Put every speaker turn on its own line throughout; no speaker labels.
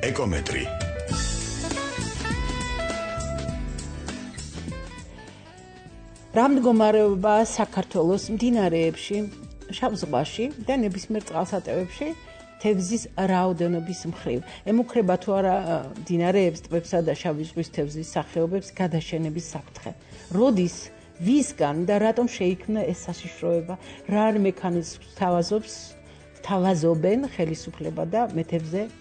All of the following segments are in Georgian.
ეკომეტრი.
რა მდგომარეობა საქართველოს მდინარეებში, შავ ზღვაში და ნებისმიერ წყალსატევებში თევზის რაოდენობის მხრივ. ემუქრება თუ არა მდინარეებს, ტბებსა და შავი ზღვის თევზის სახეობებს გადაშენების საფრთხე. როდის, ვისგან და რატომ შეიქმნა ეს საშიშროება? რა მექანიზმს თავაზობენ ხელისუფლება და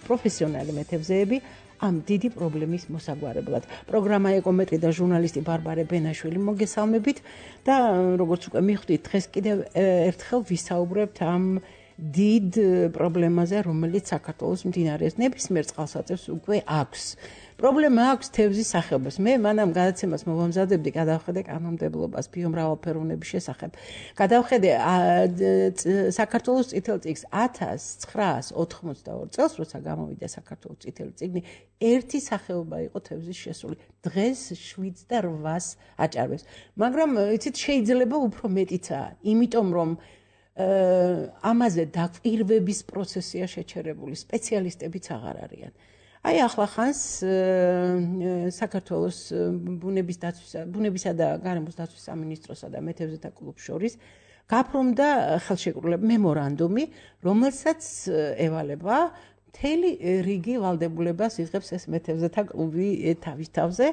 პროფესიონალი მეთევზეები ამ დიდი პრობლემის მოსაგვარებლად. პროგრამა ეკომეტრი და ჟურნალისტი ბარბარე ბენაშვილი მოგესალმებით და როგორც უკვე მიხვდით, დღეს კიდევ ერთხელ ვისაუბრებთ ამ დიდ პრობლემაზე, რომელიც საქართველოს მდინარეს ნებისმიერ წყალსატევს უკვე აქვს. პრობლემა აქვს თევზის სახეობას. მე მანამ გადაცემას მოვამზადებდი, გადავხედე კანონმდებლობას ბიომრავალფეროვნების შესახებ. გადავხედე საქართველოს წითელ წიგნს 1982 წელს, როცა გამოვიდა საქართველოს წითელი წიგნი, ერთი სახეობა იყო თევზის შესული. დღეს 7 და 8-ს აჭარბებს. მაგრამ იცით, შეიძლება უფრო მეტიცაა, იმიტომ რომ ამაზე დაკვირვების პროცესია შეჩერებული, სპეციალისტებიც აღარ არიან. აი ახლა ხანს საქართველოს ბუნებისა და გარემოს დაცვის სამინისტროსა და მეთევზეთა კლუბს შორის გაფორმდა ხელშეკრულება მემორანდუმი, რომელსაც ევალება მთელი რიგი ვალდებულებას იღებს ეს მეთევზეთა კლუბი თავის თავზე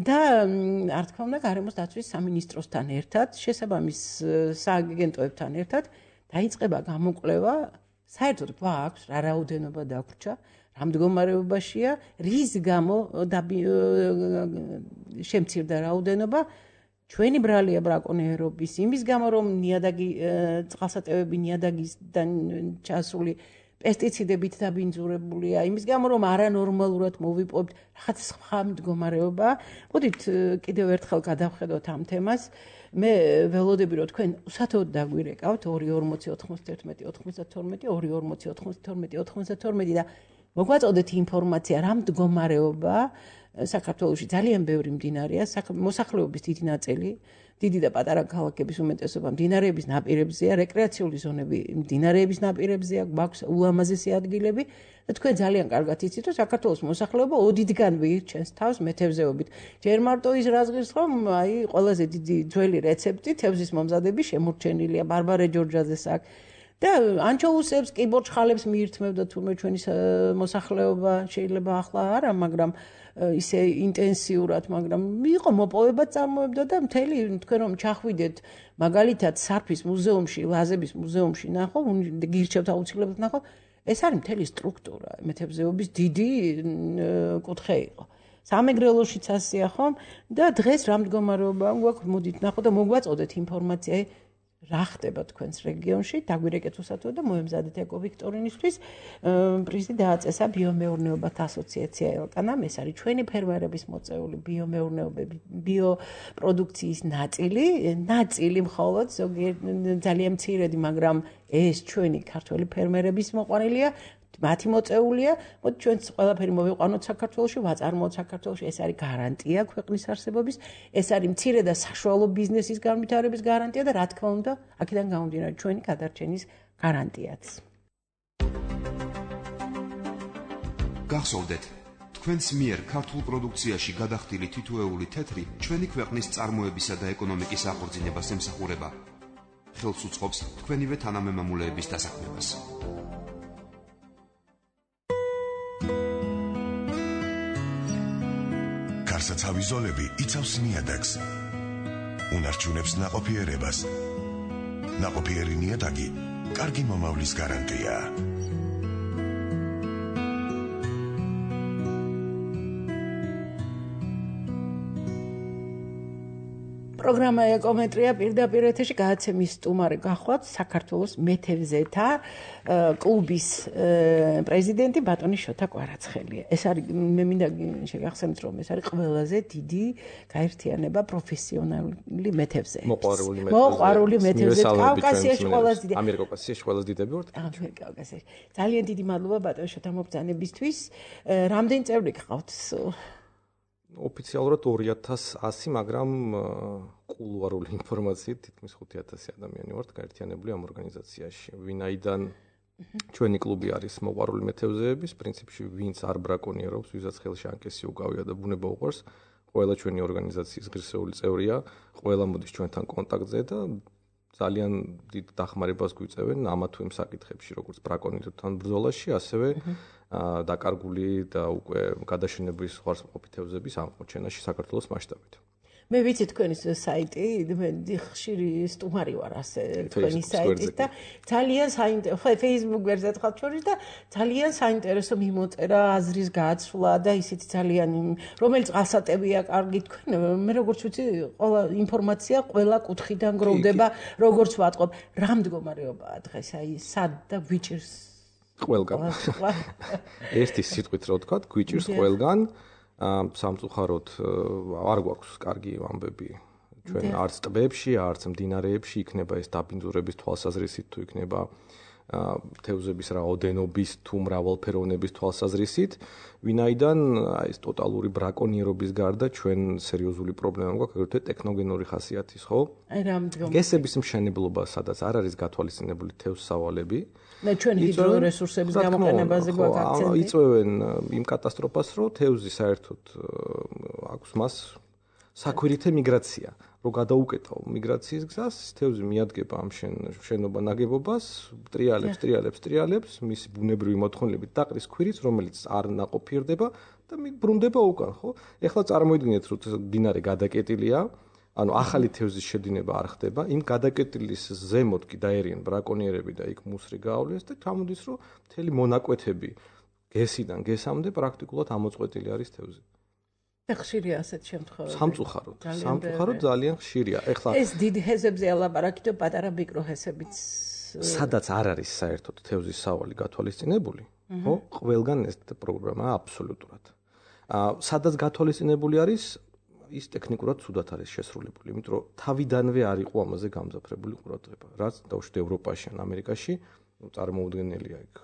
და არ თქმა უნდა გარემოს დაცვის სამინისტროსთან ერთად, შესაბამის სააგენტოებთან ერთად დაიწყება გამოკვლევა, საერთოდ გვაქვს რა რაოდენობა დაგვრჩა, რა მდგომარეობაშია, რის გამო შემცირდა რაოდენობა, ჩვენი ბრალია ბრაკონიერობის, იმის გამო რომ წყალსატევები ნიადაგისგან ჩასული პესტიციდებით დაბინძურებულია, იმის გამო რომ არანორმალურად მოვიპოვებთ რაღაც სხვა მდგომარეობა. მოდით კიდევ ერთხელ გადავხედოთ ამ თემას. მე ველოდები რომ თქვენ უსათოდ დაგვირეკავთ 2409192 და მოგვაწოდეთ ინფორმაცია რა მდგომარეობა საქართველოში ძალიან ბევრი მდინარეა, მოსახლეობის დიდი ნაწილი, დიდი და პატარა ქალაქების უმეტესობა მდინარეების ნაპირებზეა, რეკრეაციული ზონები მდინარეების ნაპირებზეა, გვაქვს ულამაზესი ადგილები და თქვენ ძალიან კარგად იცით, რომ საქართველოს მოსახლეობა ოდითგან ვირჩენს თავს მეთევზეობით. ჯერ მარტო ის რაზღვის, რომ აი ყველაზე დიდი ძველი რეცეპტი თევზის მომზადების შემორჩენილია ბარბარე ჯორჯაძეს აქ. და ანჩოუსებს, კიბორჩხალებს მიირთმევდა თურმე ჩვენი მოსახლეობა, შეიძლება ახლა არა, მაგრამ ისე ინტენსიურად, მაგრამ იყო მოპოვება წარმოებდა და მთელი თქვენ რომ ჩახვიდეთ მაგალითად სარფის მუზეუმში, ლაზების მუზეუმში ნახო, გირჩევთ აუცილებლად ნახო, ეს არის მთელი სტრუქტურა, მეთევზეობის დიდი კუთხე იყო. სამეგრელოშიც ასეა ხომ და დღეს რა მდგომარეობა გვაქვს, მოდით ნახო და მოგვაწოდეთ ინფორმაცია რა ხდება თქვენს რეგიონში, დაგვირეკეთ უსათოდ და მოემზადეთ ეკოვიქტორინისთვის. პრიზი დააწესა ბიომეურნეობათა ასოციაცია ელკანამ, ეს არის ჩვენი ფერმერების მოწეული ბიომეურნეობები, ბიოპროდუქციის ნაწილი მხოლოდ, ძალიან მცირედი, მაგრამ ეს ჩვენი ქართველი ფერმერების მოყვანილია, მათი მოწეულია, მოდი ჩვენც ყველაფერი მოვიყვანოთ საქართველოში, ვაწარმოოთ საქართველოში, ეს არის გარანტია ქვეყნის არსებობის, ეს არის მცირე და საშუალო ბიზნესის განვითარების გარანტია და რა თქმა უნდა, აქედან გამომდინარე ჩვენი გადარჩენის გარანტიაც.
გახსოვდეთ, თქვენს მიერ ქართულ პროდუქციაში გადახდილი თითოეული თეთრი ჩვენი ქვეყნის წარმოებისა და ეკონომიკის აღორძინებას ემსახურება. ხელს უწყობს თქვენივე თანამემამულეების დასაქმებას.
გარსაცავი ზოლები იცავს ნიადაგს. უნარჩუნებს ნაყოფიერებას. ნაყოფიერი ნიადაგი კარგი მომავლის გარანტიაა.
პროგრამა ეკომეტრია პირდაპირ ეთერში გადაცემის სტუმარი გახლავთ საქართველოს მეთევზეთა კლუბის პრეზიდენტი ბატონი შოთა კვარაცხელია. ეს არის მე მინდა შეგახსენოთ, რომ ეს არის ყველაზე დიდი გაერთიანება პროფესიონალი მეთევზეების. მოყვარული მეთევზეების კავკასიაში ყველაზე დიდი.
ამიერკავკასიაში ყველაზე დიდები ვართ.
ამიერკავკასიაში. ძალიან დიდი მადლობა ბატონი შოთა მობრძანებისთვის. რამდენი წევრი გყავთ?
ოფიციალურად 2100, მაგრამ კულუარული ინფორმაციით თითქმის 5000 ადამიანი ვართ გაერთიანებული ამ ორგანიზაციაში. ვინაიდან ჩვენი კლუბი არის მოყვარული მეთევზეების, პრინციპში ვინც არ ბრაკონიერობს, ვისაც ხელში ანკესი უკავია და ბუნება უყვარს, ყველა ჩვენი ორგანიზაციის ღირსეული წევრია, ყველა მოდის ჩვენთან კონტაქტზე და ძალიან დიდ დახმარებას გვიწევენ ამა თუ იმ საკითხებში, როგორც ბრაკონიერებთან ბრძოლაში, ასევე დაკარგული და უკვე გადაშენების ხარისხმობი თევზების აღმოჩენაში საქართველოს მასშტაბით.
მე ვიცი თქვენი საიტი, მე ხშირი სტუმარი ვარ ასე თქვენი საიტის და ძალიან საინტერესო Facebook ვერზად ხალხ შორის და ძალიან საინტერესო მიმოწერა, აზრის გაცვლა და ისეთი ძალიან რომელიც გასატევია კარგი თქვენ, მე როგორც ვიცი, ყველა ინფორმაცია ყველა კუთხიდან გროვდება, როგორც ვატყობ, რა მდგომარეობაა დღეს, აი სად და გვიჭირს
ყველგან. ერთი სიტყვით რო ვთქვა, გვიჭირს ყველგან. სამწუხაროდ არ გვაქვს კარგი ამბები ჩვენ არც ტბებში, არც მდინარეებში იქნება ეს დაბინძურების თვალსაზრისით თუ იქნება თევზების რაოდენობის თუ მრავალფეროვნების თვალსაზრისით, ვინაიდან აი ეს ტოტალური ბრაკონიერობის გარდა ჩვენ სერიოზული პრობლემა გვაქვს ეგრეთ ტექნოგენური ხასიათის, ხო?
აი რა მდგომარეობა.
გესების მშენებლობა, სადაც არ არის გათვალისწინებული თევზსავალები.
და ჩვენ ჰიდრორესურსების გამოყენებაზე გვაქვს აქცენტი.
იწვევენ იმ კატასტროფას, რომ თევზი საერთოდ აქვს მას საქვირითე მიგრაცია. რო გადაუკეტავ მიგრაციის გზას, თევზი მიადგება ამ შენობა ნაგებობას, ტრიალებს, მისი ბუნებრივი მოთხოვნილებით დაყრის ქვირიც, რომელიც არ ნაყოფიერდება და ბრუნდება უკან, ხო? ეხლა წარმოიდგინეთ, რომ მდინარე გადაკეტილია, ანუ ახალი თევზის შედინება არ ხდება, იმ გადაკეტილის ზემოთ კი დაერიან ბრაკონიერები და იქ მუსრი გაავლეს და ჩამოდის, რომ მთელი მონაკვეთები გესიდან გესამდე პრაქტიკულად ამოწყვეტილი არის თევზი.
ხშირია ასეთ შემთხვევებში.
სამწუხაროდ ძალიან ხშირია. ეხლა
ეს დიდ ჰესებზე ალაპარაკი და პატარა მიკროჰესებიც
სადაც არ არის საერთოდ თევზის სავალი გათვალისწინებული, ხო? ყველგან ეს პროგრამაა აბსოლუტურად. სადაც გათვალისწინებული არის, ის ტექნიკურად ცუდად არის შესრულებული, იმიტომ რომ თავიდანვე არ იყო ამაზე გამძაფრებული ყურადღება. რაც დაუშვით ევროპაში ან ამერიკაში, წარმოუდგენელია იქ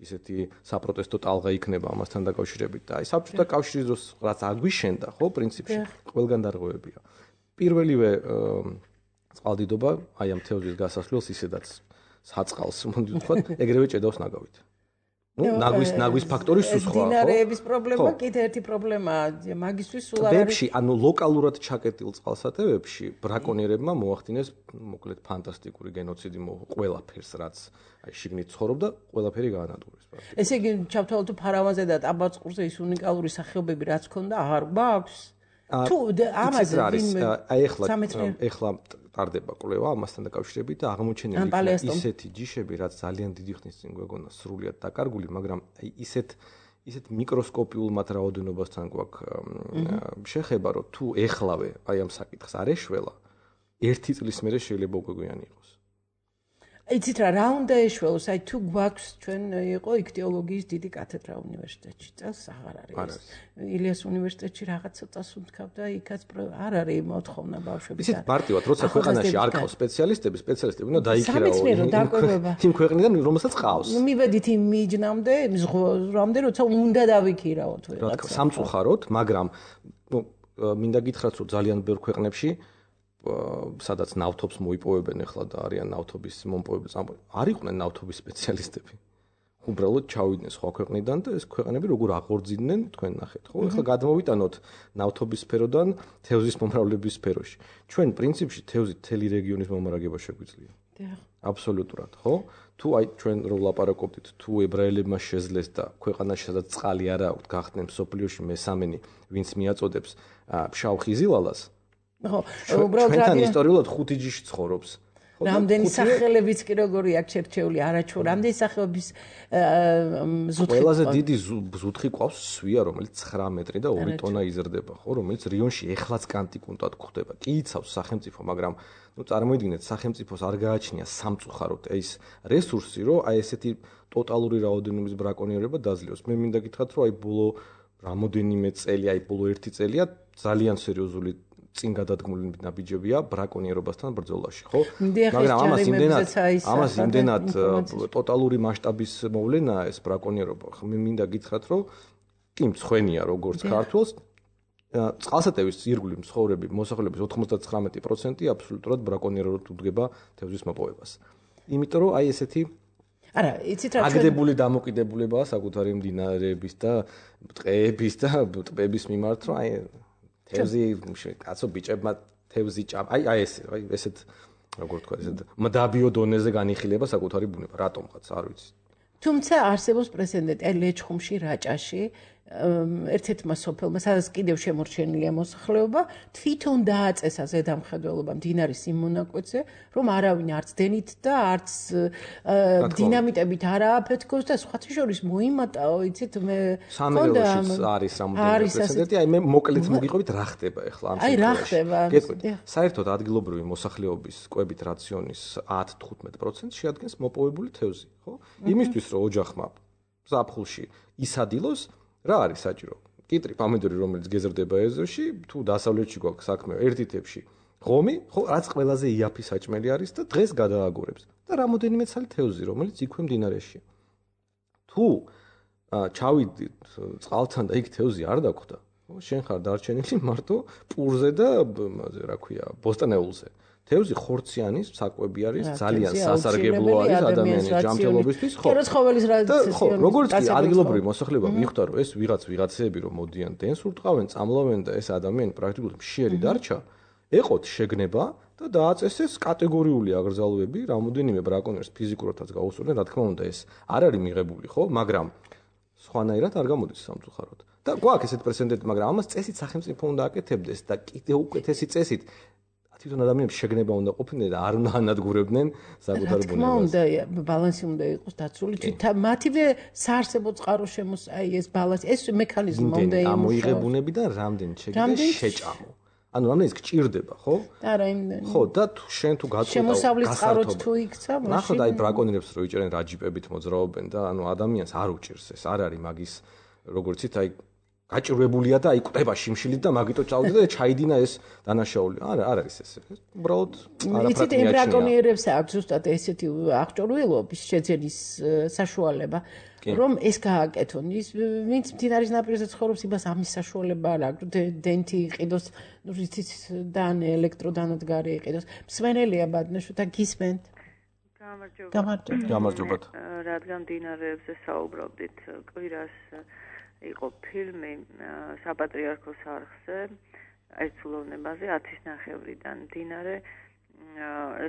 ისეთი საპროტესტო ტალღა იქნება ამასთან დაკავშირებით და აი საბჭოთა კავშირის დროს რაც აგვიშენდა, ხო, პრინციპში ყველგან დარღვევებია. პირველივე წყალდიდობა აი ამ თევზის გასასვლელს ისედაც საწყალს მოდი ვთქვათ, ეგრევე ჭედავს ნაგავით. ნაგვის ფაქტორი სულ სხვა, ხო?
მდინარეების პრობლემა კიდე ერთი პრობლემაა, მაგისთვის სულ არ არის.
ტბებში, ანუ ლოკალურად ჩაკეტილ წყალსატევებში ბრაკონიერებმა მოახდინეს, მოკლედ ფანტასტიკური გენოციდი ყველაფერს, რაც აი შიგნით ცხოვრობდა, ყველაფერი გაანადგურეს.
ესე იგი, ჩავთვალოთ ფარავანზე და ტაბაწყურზე ის უნიკალური სახეობები რაც ქონდა, აღარ გვაქვს? თუ ამაზე
აი ეხლა ტარდება კვლევა ამასთან დაკავშირებით და აღმოჩენილი იქნება ისეთი ჯიშები, რაც ძალიან დიდი ხნის წინ გვეგონა სრულიად დაკარგული, მაგრამ აი ისეთ მიკროსკოპიულ მათ რაოდენობასთან გვაქვს შეხება, რომ თუ ეხლავე აი ამ საკითხს არ ეშველა, ერთი წლის მერე შეიძლება უკვე გვიანი იყოს.
იცით რა უნდა ეშველოს, აი თუ გვაქვს ჩვენ იყო იქტიოლოგიის დიდი კათედრა უნივერსიტეტში, წელს აღარ არის. ილიას უნივერსიტეტში რაღაც ცოტას უნთქავდა, იქაც არ არის მოთხოვნა ბავშვების.
იცით მარტივად, როცა ქვეყანაში არ ყავს სპეციალისტები უნდა დაიქირაო იმ ქვეყნიდან, რომელსაც ყავს.
მივედით იმ მიჯნამდე, ზღვრამდე, როცა უნდა დავიქირაოთ ვიღაცა.
სამწუხაროდ, მაგრამ მინდა გითხრათ, რომ ძალიან ბევრ ქვეყნებში სადაც ნავთობს მოიპოვებენ ახლა და არიან ნავთობის მომპოვებელს, არ იყვნენ ნავთობის სპეციალისტები. უბრალოდ ჩავიდნენ სხვა ქვეყნიდან და ეს ქვეყნები როგორ აღორძინდნენ, თქვენ ნახეთ, ხო? ახლა გადმოვიტანოთ ნავთობის სფეროდან თევზის მომრავლების სფეროში. ჩვენ პრინციპში თევზი მთელი რეგიონის მომარაგება შეგვიძლია. აბსოლუტურად, ხო? თუ აი ჩვენ რო ვლაპარაკობთ, თუ ებრაელებმა შეძლეს და ქვეყანაში სადაც წყალი არ აქვს, გახდნენ მსოფლიოში მესამენი, ვინც მიაწოდებს ფშავ ხიზილალას.
ხო, უბრალოდ
ჩვენთან ისტორიულად 5 ჯიში ცხოვრობს.
რამდენი სახელებიც კი როგორი აქვს შერჩეული, არაჩვეულ, რამდენი სახეობის ზუთხი.
ყველაზე დიდი ზუთხი ყავს სვია, რომელიც 9 მეტრი და 2 ტონა იზრდება, ხო, რომელიც რიონში ეხლაც კანტიკუნტად გვხდება. კი იცავს სახელმწიფო, მაგრამ წარმოიდგინეთ, სახელმწიფოს არ გააჩნია სამწუხაროდ ეს რესურსი, რომ აი ესეთი ტოტალური რაოდენობის ბრაკონიერება დაძლევს. მე მინდა გითხრათ, რომ აი ბოლო რამოდენიმე წელი, აი ბოლო 1 წელია ძალიან სერიოზული წინ გადადგმული ნაბიჯებია ბრაკონიერობასთან ბრძოლაში, ხო? მაგრამ ამას იმდენად ტოტალური მასშტაბის მოვლენაა ეს ბრაკონიერობა. მე მინდა გითხრათ, რომ კი მცხვენია როგორც ქართულს, წყალსატევის ირგვლივ მცხოვრები მოსახლეობის 99% აბსოლუტურად ბრაკონიერად უდგება თევზის მოპოვებას. იმიტომ რომ აი ესეთი
არა, იცით რა
აგდებული დამოკიდებულებაა საკუთარი მდინარეების და ტყეების და ტბების მიმართ, რომ აი თევზი კაცო ბიჭებმა თევზი აი ესეთ როგორ თქვა ესეთ მდაბიო დონეზე განიხილება საკუთარი ბუნება, რატომღაც არ ვიცი.
თუმცა არსებობს პრეცედენტი აი ლეჩხუმში, რაჭაში, ერთ-ერთმა სოფელმა, სადაც კიდევ შემორჩენილია მოსახლეობა, თვითონ დააწესა ზედამხედველობა მდინარის იმ მონაკვეთზე, რომ არავინ არც დენით და არც დინამიტებით არ ააფეთქოს და სხვათა შორის მოიმატაო, იცით, მე
სამეგრელოშიც არის რამოდენიმე პრეცედენტი, აი მე მოკლედ მოგიყვებით რა ხდება ახლა ამ
აი რა ხდება?
საერთოდ ადგილობრივი მოსახლეობის კვებით რაციონის 10-15% შეადგენს მოპოვებული თევზი, ხო? იმისთვის რომ ოჯახმა ზაფხულში ისადილოს რა არის საჭირო? კიტრი, პომიდორი, რომელიც გეზრდება ეზოში, თუ დასავლეთში გვაქვს საქმე ერთი თევზში, ღომი, ხო, რაც ყველაზე იაფი საჭმელი არის და დღეს გადააგორებს. და რამოდენიმე ცალი თევზი, რომელიც იქვე მდინარეშია. თუ ჩავიდით წყალთან და იქ თევზი არ დაგვხდა, ხო, შენ ხარ დარჩენილი მარტო პურზე და რა ქვია, ბოსტნეულზე. თევზი ხორციანის საკვები არის, ძალიან სასარგებლო არის ადამიანის ჯანმრთელობისთვის, ხო. ხო, როგორც კი ადგილობრივი მოსახლეობა მიხვდა, რომ ეს ვიღაცეები რომ მოდიან დენს ურტყავენ, წამლავენ და ეს ადამიანი პრაქტიკულად მშიერი დარჩა, ეყოთ შეგნება და დააწესეს კატეგორიული აკრძალვები, რამოდენიმე ბრაკონიერს ფიზიკურადაც გაუსწორდნენ, რა თქმა უნდა, ეს არ არის მიღებული, ხო, მაგრამ სხვანაირად არ გამოდის სამწუხაროდ. და გვაქვს ესეთ პრეცედენტი, მაგრამ ამას წესით სახელმწიფო უნდა აკეთებდეს და კიდევ უკეთესი წესით თვითონ ადამიანებს შეგნება უნდა ყოფილნი და არ უნდა ანადგურებდნენ საკუთარ ბუნებას. რა თქმა
უნდა, ბალანსი უნდა იყოს დაცული. მათივე საარსებო წყარო აი ეს ბალანსი, ეს მექანიზმი უნდა იმუშაოს.
ამოიღებუნებიდან რამდენი შეგიძლია შეჭამო. ანუ რამდენიც გჭირდება, ხო?
არა, იმდენი.
ხო, და შენ თუ გაწყვეტავ
შემოსავლის წყაროც თუ იქცა,
მაშინ ნახოთ აი ბრაკონიერებს რო იჭერენ რაჯიპებით მოძრაობენ და ანუ ადამიანს არ უჭირს ეს, არ არის მაგის როგორც იცით აი გაჭირვებულია და აი კვდება შიმშილით და მაგიტო წავიდა და ჩაიდინა ეს დანაშაული. არა, არ არის ეს. უბრალოდ
არაფრად მიაჩნია. ბრაკონიერებს აქვს ზუსტად ესეთი აღჭურვილობის შეძენის საშუალება, რომ ეს გააკეთონ. ის ვინც მდინარის ნაპირზე ცხოვრობს, იმას ამის საშუალება არ აქვს. დენთი იყიდოს, ნუ იცით, დან ელექტროდანადგარი იყიდოს. მსმენელია ბადნაშო და გისმენთ.
გამარჯობა.
რადგან მდინარეებზე საუბრობდით, კვირას იყო ფილმი საპატრიარქოს არხზე აიცულოვნებაზე 10:30-დან მდინარე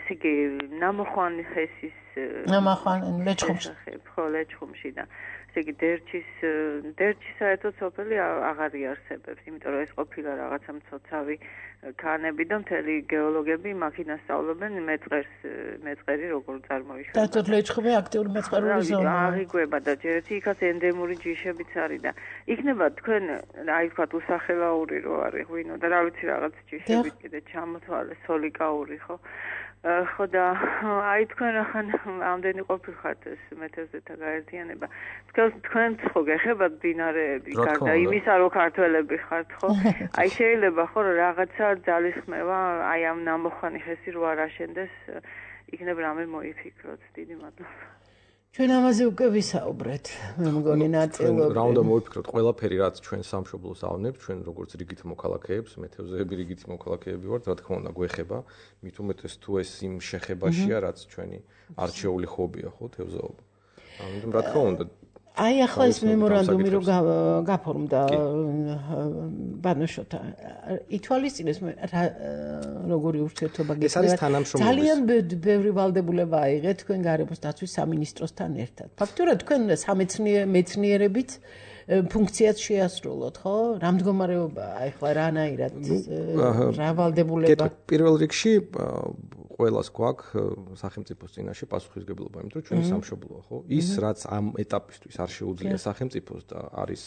ესე იგი ნამოხვანი ხესის
ლეჩხუმში
ხო ლეჩხუმში და ესე იგი დერჩი საერთოდ სოფელი აღარ იარსებებს, იმიტომ რომ ეს ყოფილა რაღაცა მცოცავი ქანები და მთელი გეოლოგები მაქინას სწავლობენ მეწყერი როგორ წარმოიშვა.
და ლეჩხუმი აქტიური მეწყერული ზონა.
აღიგვება და ჯერეთი იქაც ენდემური ჯიშებიც არის და იქნება თქვენ აი ვთქვათ უსახელაური რო არის ღვინო და რა ვიცი რაღაც ჯიშები კიდე ჩამოთვალე სოლიკაური ხო? ხო და აი თქვენ ახან ამდენი ყოფილხართ ეს მეთევზეთა გაერთიანება. თქვენც ხო გეხებათ მდინარეები გარდა იმისა რომ ქართველები ხართ ხო? აი შეიძლება ხო რომ რაღაცა ძალისხმევა აი ამ ნამოხვანი ხესი რო არ აშენდეს იქნებ რამე მოიფიქროთ. დიდი მადლობა.
ჩვენ ამაზე უკვე ვისაუბრეთ, მე მგონი ნაწილობრივ.
რა უნდა მოვიფიქროთ, ყველაფერი რაც ჩვენ სამშობლოს ავნებს, ჩვენ როგორც რიგით მოქალაქეებს, მეთევზეები რიგით მოქალაქეები ვართ, რა თქმა უნდა გვეხება, მით უმეტეს თუ ეს იმ შეხებაშია, რაც ჩვენი არჩეული ხობია, ხო, თევზაობა. ამიტომ რა თქმა უნდა
აი ახლა ეს მემორანდუმი რო გაფორმდა ბანოშოთა ითვალისწინეს როგორი ურთიერთობა გექნება ძალიან ბევრი ვალდებულება აიღეთ თქვენ გარემოს დაცვის სამინისტროსთან ერთად ფაქტურად თქვენ სამეცნიერებით ფუნქციაც შეასრულოთ ხო რა მდგომარეობაა ახლა რანაირად რა ვალდებულება
პირველ რიგში ყველას გვაქვს სახელმწიფოს წინაშე პასუხისმგებლობა, იმიტომ რომ ჩვენი სამშობლოა, ხო? ის რაც ამ ეტაპისთვის არ შეუძლია სახელმწიფოს და არის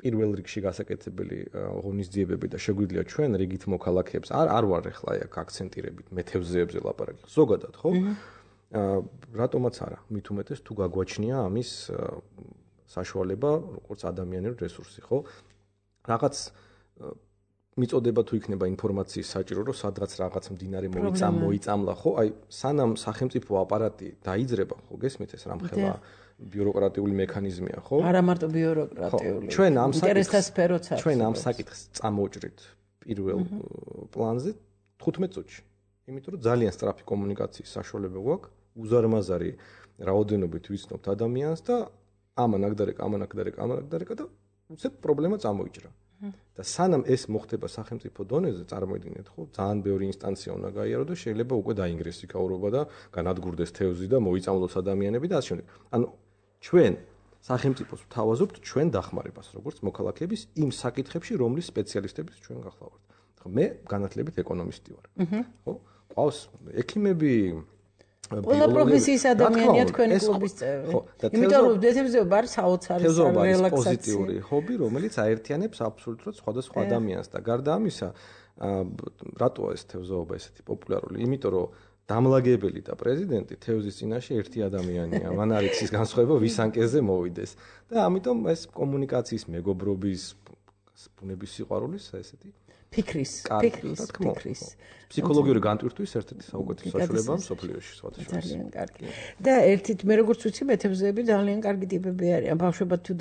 პირველ რიგში გასაკეთებელი ღონისძიებები და შეგვიძლია ჩვენ რიგით მოქალაქეებს არ ვარ ახლა აქ აქცენტირებით მეთევზეებზე ლაპარაკი. ზოგადად, ხო? რატომაც არა, მით უმეტეს თუ გაგვაჩნია ამის საშუალება, როგორც ადამიანური რესურსი, ხო? რაღაც მიწოდება თუ იქნება ინფორმაციის საჭირო, რომ სადღაც რაღაც მდინარე მოიწამლა, ხო? აი, სანამ სახელმწიფო აპარატი დაიძრება, ხო, გესმით ეს რამხელა ბიუროკრატიული მექანიზმია, ხო?
არა მარტო ბიუროკრატიული.
ჩვენ ამ საკითხს წამოვჭრით პირველ პლანზე 15 წუთში. იმიტომ რომ ძალიან სწრაფი კომუნიკაციის საშუალება გვაქვს უზარმაზარი რაოდენობით ვიცნობთ ადამიანს და ამან და უცებ პრობლემა წამოიჭრა. და სანამ ეს მოხდება სახელმწიფო დონეზე, წარმოიდგინეთ, ხო, ძალიან ბევრი ინსტანცია უნდა გაიარო და შეიძლება უკვე დაინგრეს იქაურობა და განადგურდეს თევზი და მოიწამლოს ადამიანები და ასე შემდეგ. ანუ ჩვენ სახელმწიფოს ვთავაზობთ ჩვენ დახმარებას, როგორც მოქალაქეების იმ საკითხებში, რომლის სპეციალისტების ჩვენ გახლავართ. ხო, მე განათლებით ეკონომისტი ვარ. ხო, ყავს ექიმები,
ყველა პროფესიის ადამიანია თქვენი კლუბის წევრი. იმიტომ რომ თევზობა არის საოცარი რელაქსაცია.
პოზიტიური ჰობი, რომელიც აერთიანებს აბსოლუტურად სხვადასხვა ადამიანს და გარდა ამისა, რატოა ეს თევზაობა ესეთი პოპულარული? იმიტომ რომ დამლაგებელი და პრეზიდენტი თევზის წინაშე ერთი ადამიანია. მან არ იცის განსხვავება ვის ანკეზე მოვიდეს. და ამიტომ ეს კომუნიკაციის მეგობრობის ბუნების სიყვარულის ესეთი
ფიქრის.
ფსიქოლოგიური განტვირთვის ერთ-ერთი საუკეთესო საშუალებაა სოფლიოში, სხვათა შორის.
ძალიან კარგი. და ერთით მე როგორც ვიცი, მეთევზეები ძალიან კარგი ტიპები არიან. ბავშვებად თუ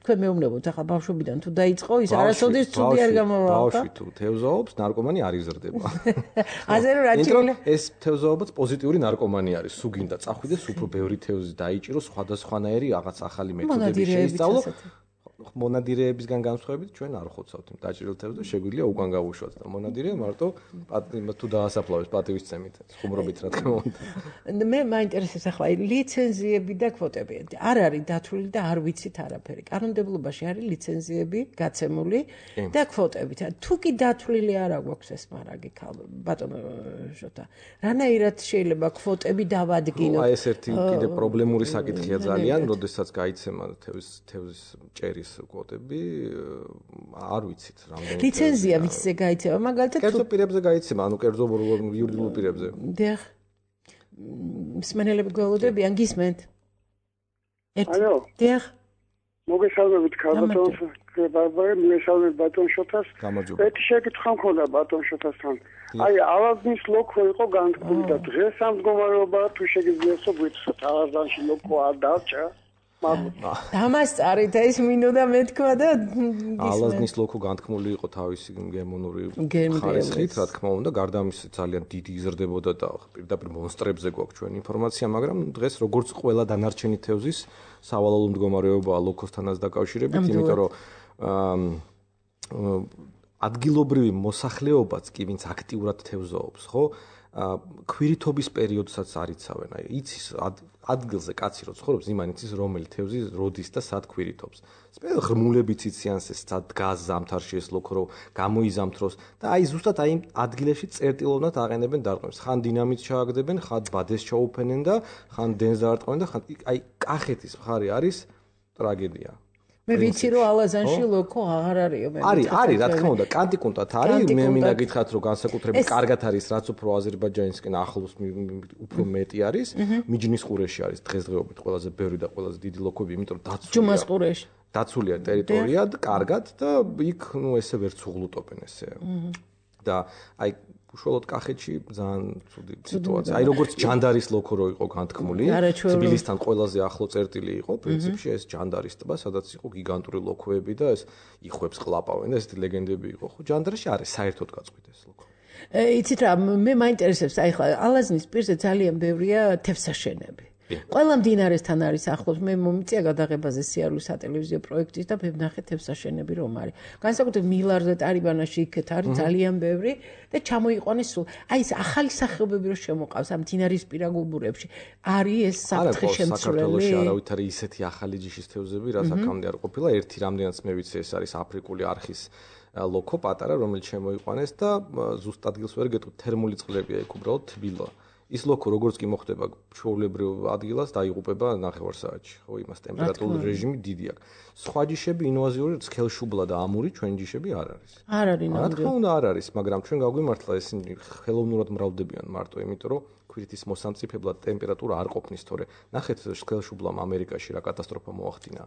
თქვენ მეუბნებოთ, ახლა ბავშვობიდან თუ დაიწყო, ის არასოდეს ცუდი არ გამოვაყო.
ბავშვი თუ თევზაობს, ნარკომანი არ იზრდება.
ასე რომ რაჭილი
ეს თევზაობაც პოზიტიური ნარკომანი არის. სულ გინდა წახვიდეს, უფრო ბევრი თევზი დაიჭირო, სხვადასხვანაირი რაღაც ახალი მეთოდები შეისწავლო. მონადირეებისგან განსხვავებით ჩვენ არ ხოცავთ იმ დაჭრილ თევზს და შეგვიძლია უკან გავუშვათ და მონადირე მარტო თუ დაასაფლავეს პატივისცემით ხუმრობით რა თქმა უნდა.
მე მაინტერესებს ახლა ლიცენზიები და კვოტები. არ არის დათვლილი და არ ვიცით არაფერი. კანონმდებლობაში არის ლიცენზიები გაცემული და კვოტები. თუ კი დათვლილი არ აქვს ეს მარაგი ბატონო ჟოთა. რანაირად შეიძლება კვოტები დავადგინოთ?
აი ეს ერთი კიდე პრობლემური საკითხია ძალიან, როდესაც გაიცემა თევზის ჭერის კვოტები არ ვიცით რამდენი
ლიცენზია ვიცზე გაიცემა მაგალითად
კერძო პირებზე გაიცემა ანუ კერძო იურიდიულ პირებზე
დიახ მსმენელები გველოდებიან გისმენთ
ალო
დიახ
მოგესალმებით ბატონ ბარბარე მოგესალმებით ბატონ შოთას ერთი შეკითხვა მქონდა ბატონ შოთასთან აი ალაზნის ლოქო იყო განთქმული და დღეს ამ მდგომარეობა თუ შეგიძლიათ გვიცოთ ალაზანში ლოქო არ დარჩა
დამასწარით ეს მინოდა მეთქვა და
ალაზნის ლოქო განთქმული იყო თავისი გემონური ხარისხით, რა თქმა უნდა, გარდა ამისა ძალიან დიდი იზრდებოდა და პირდაპირ მონსტრებზე გვაქვს ჩვენ ინფორმაცია, მაგრამ დღეს როგორც ყველა დანარჩენი თევზის სავალალო მდგომარეობაა ლოქოსთანაც დაკავშირებით, იმიტომ რომ ადგილობრივი მოსახლეობაც კი ვინც აქტიურად თევზაობს, ხო? ქვირითობის პერიოდსაც არიცავენ, აი იცის ადგილზე კაცი რო ცხოვრობს, იმან იცის რომელი თევზი როდის და სად ქვირითობს. ღრმულებიც იციან ეს სად დგას ზამთარში ეს ლოქო რო გამოიზამთროს და აი ზუსტად აი ადგილებში წერტილოვნად აყენებენ დარყმებს. ხან დინამით ჩააგდებენ, ხან ბადეს ჩაუფენენ და ხან დენს დაარტყმენ და ხან აი კახეთის მხარე არის ტრაგედია.
მე ვიცი რომ ალაზანში ლოქო აღარ არისო მე
არის რა თქმა უნდა კანტიკუნტად არის მე მინდა გითხრათ რომ განსაკუთრებით კარგად არის რაც უფრო აზერბაიჯანისკენ ახლოს უფრო მეტი არის მიჯნის ყურეში არის დღესდღეობით ყველაზე ბევრი და ყველაზე დიდი ლოქები იმიტომ რომ
ჯუმას ყურეში
დაცულია ტერიტორია კარგად და იქ ნუ ესე ვერ ცუღლუტობენ ესე და აი უშუალოდ კახეთში ძალიან ცუდი სიტუაცია. აი როგორც ჯანდარის ლოქო რო იყო განთქმული, თბილისთან ყველაზე ახლო წერტილი იყო, პრინციპში ეს ჯანდარის ტბა, სადაც იყო გიგანტური ლოქოები და ეს იხვებს ყლაპავენ და ესეთი ლეგენდები იყო. ხო, ჯანდარში არის საერთოდ გაწყვიტა ეს ლოქო.
იცით რა, მე მაინტერესებს, აი ხა ალაზნის პირზე ძალიან ბევრია თევზსაშენები. ყველა მდინარესთან არის ახლოს. მე მომიწია გადაღებაზე სიარულის სატელევიზიო პროექტის და მე ვნახე თევზსაშენები რომ არის. განსაკუთრებით მილარზე, ტარიბანაში იქეთ არის ძალიან ბევრი და ჩამოიყვანეს სულ. აი ეს ახალი სახეობები რომ შემოყავს ამ მდინარის პირა გუბურებში. არის ეს საფრთხე შემცვლელი.
საქართველოში არავით არის ისეთი ახალი ჯიშის თევზები, რაც აქამდე არ ყოფილა. ერთი რამდენიც მე ვიცი ეს არის აფრიკული არხის ლოქო პატარა, რომელიც შემოიყვანეს და ზუსტ ადგილს ვერ გეტყვით, თერმული წყლებია იქ უბრალოდ თბილა. ის ლოქო როგორც კი მოხდება ჩვეულებრივ ადგილას დაიღუპება ნახევარსაათში, ხო, იმას ტემპერატურული რეჟიმი დიდი აქვს. სხვა ჯიშები ინვაზიური სქელშუბლა და ამური ჩვენ ჯიშები არ არის.
არ არის ნამდვილად.
რა თქმა უნდა არ არის, მაგრამ ჩვენ გაგვიმართლა ესენი ხელოვნურად მრავლდებიან მარტო, იმიტომ რომ ქვირითის მოსამწიფებლად ტემპერატურა არ ყოფნის, თორე ნახეთ სქელშუბლამ ამერიკაში რა კატასტროფა მოახდინა.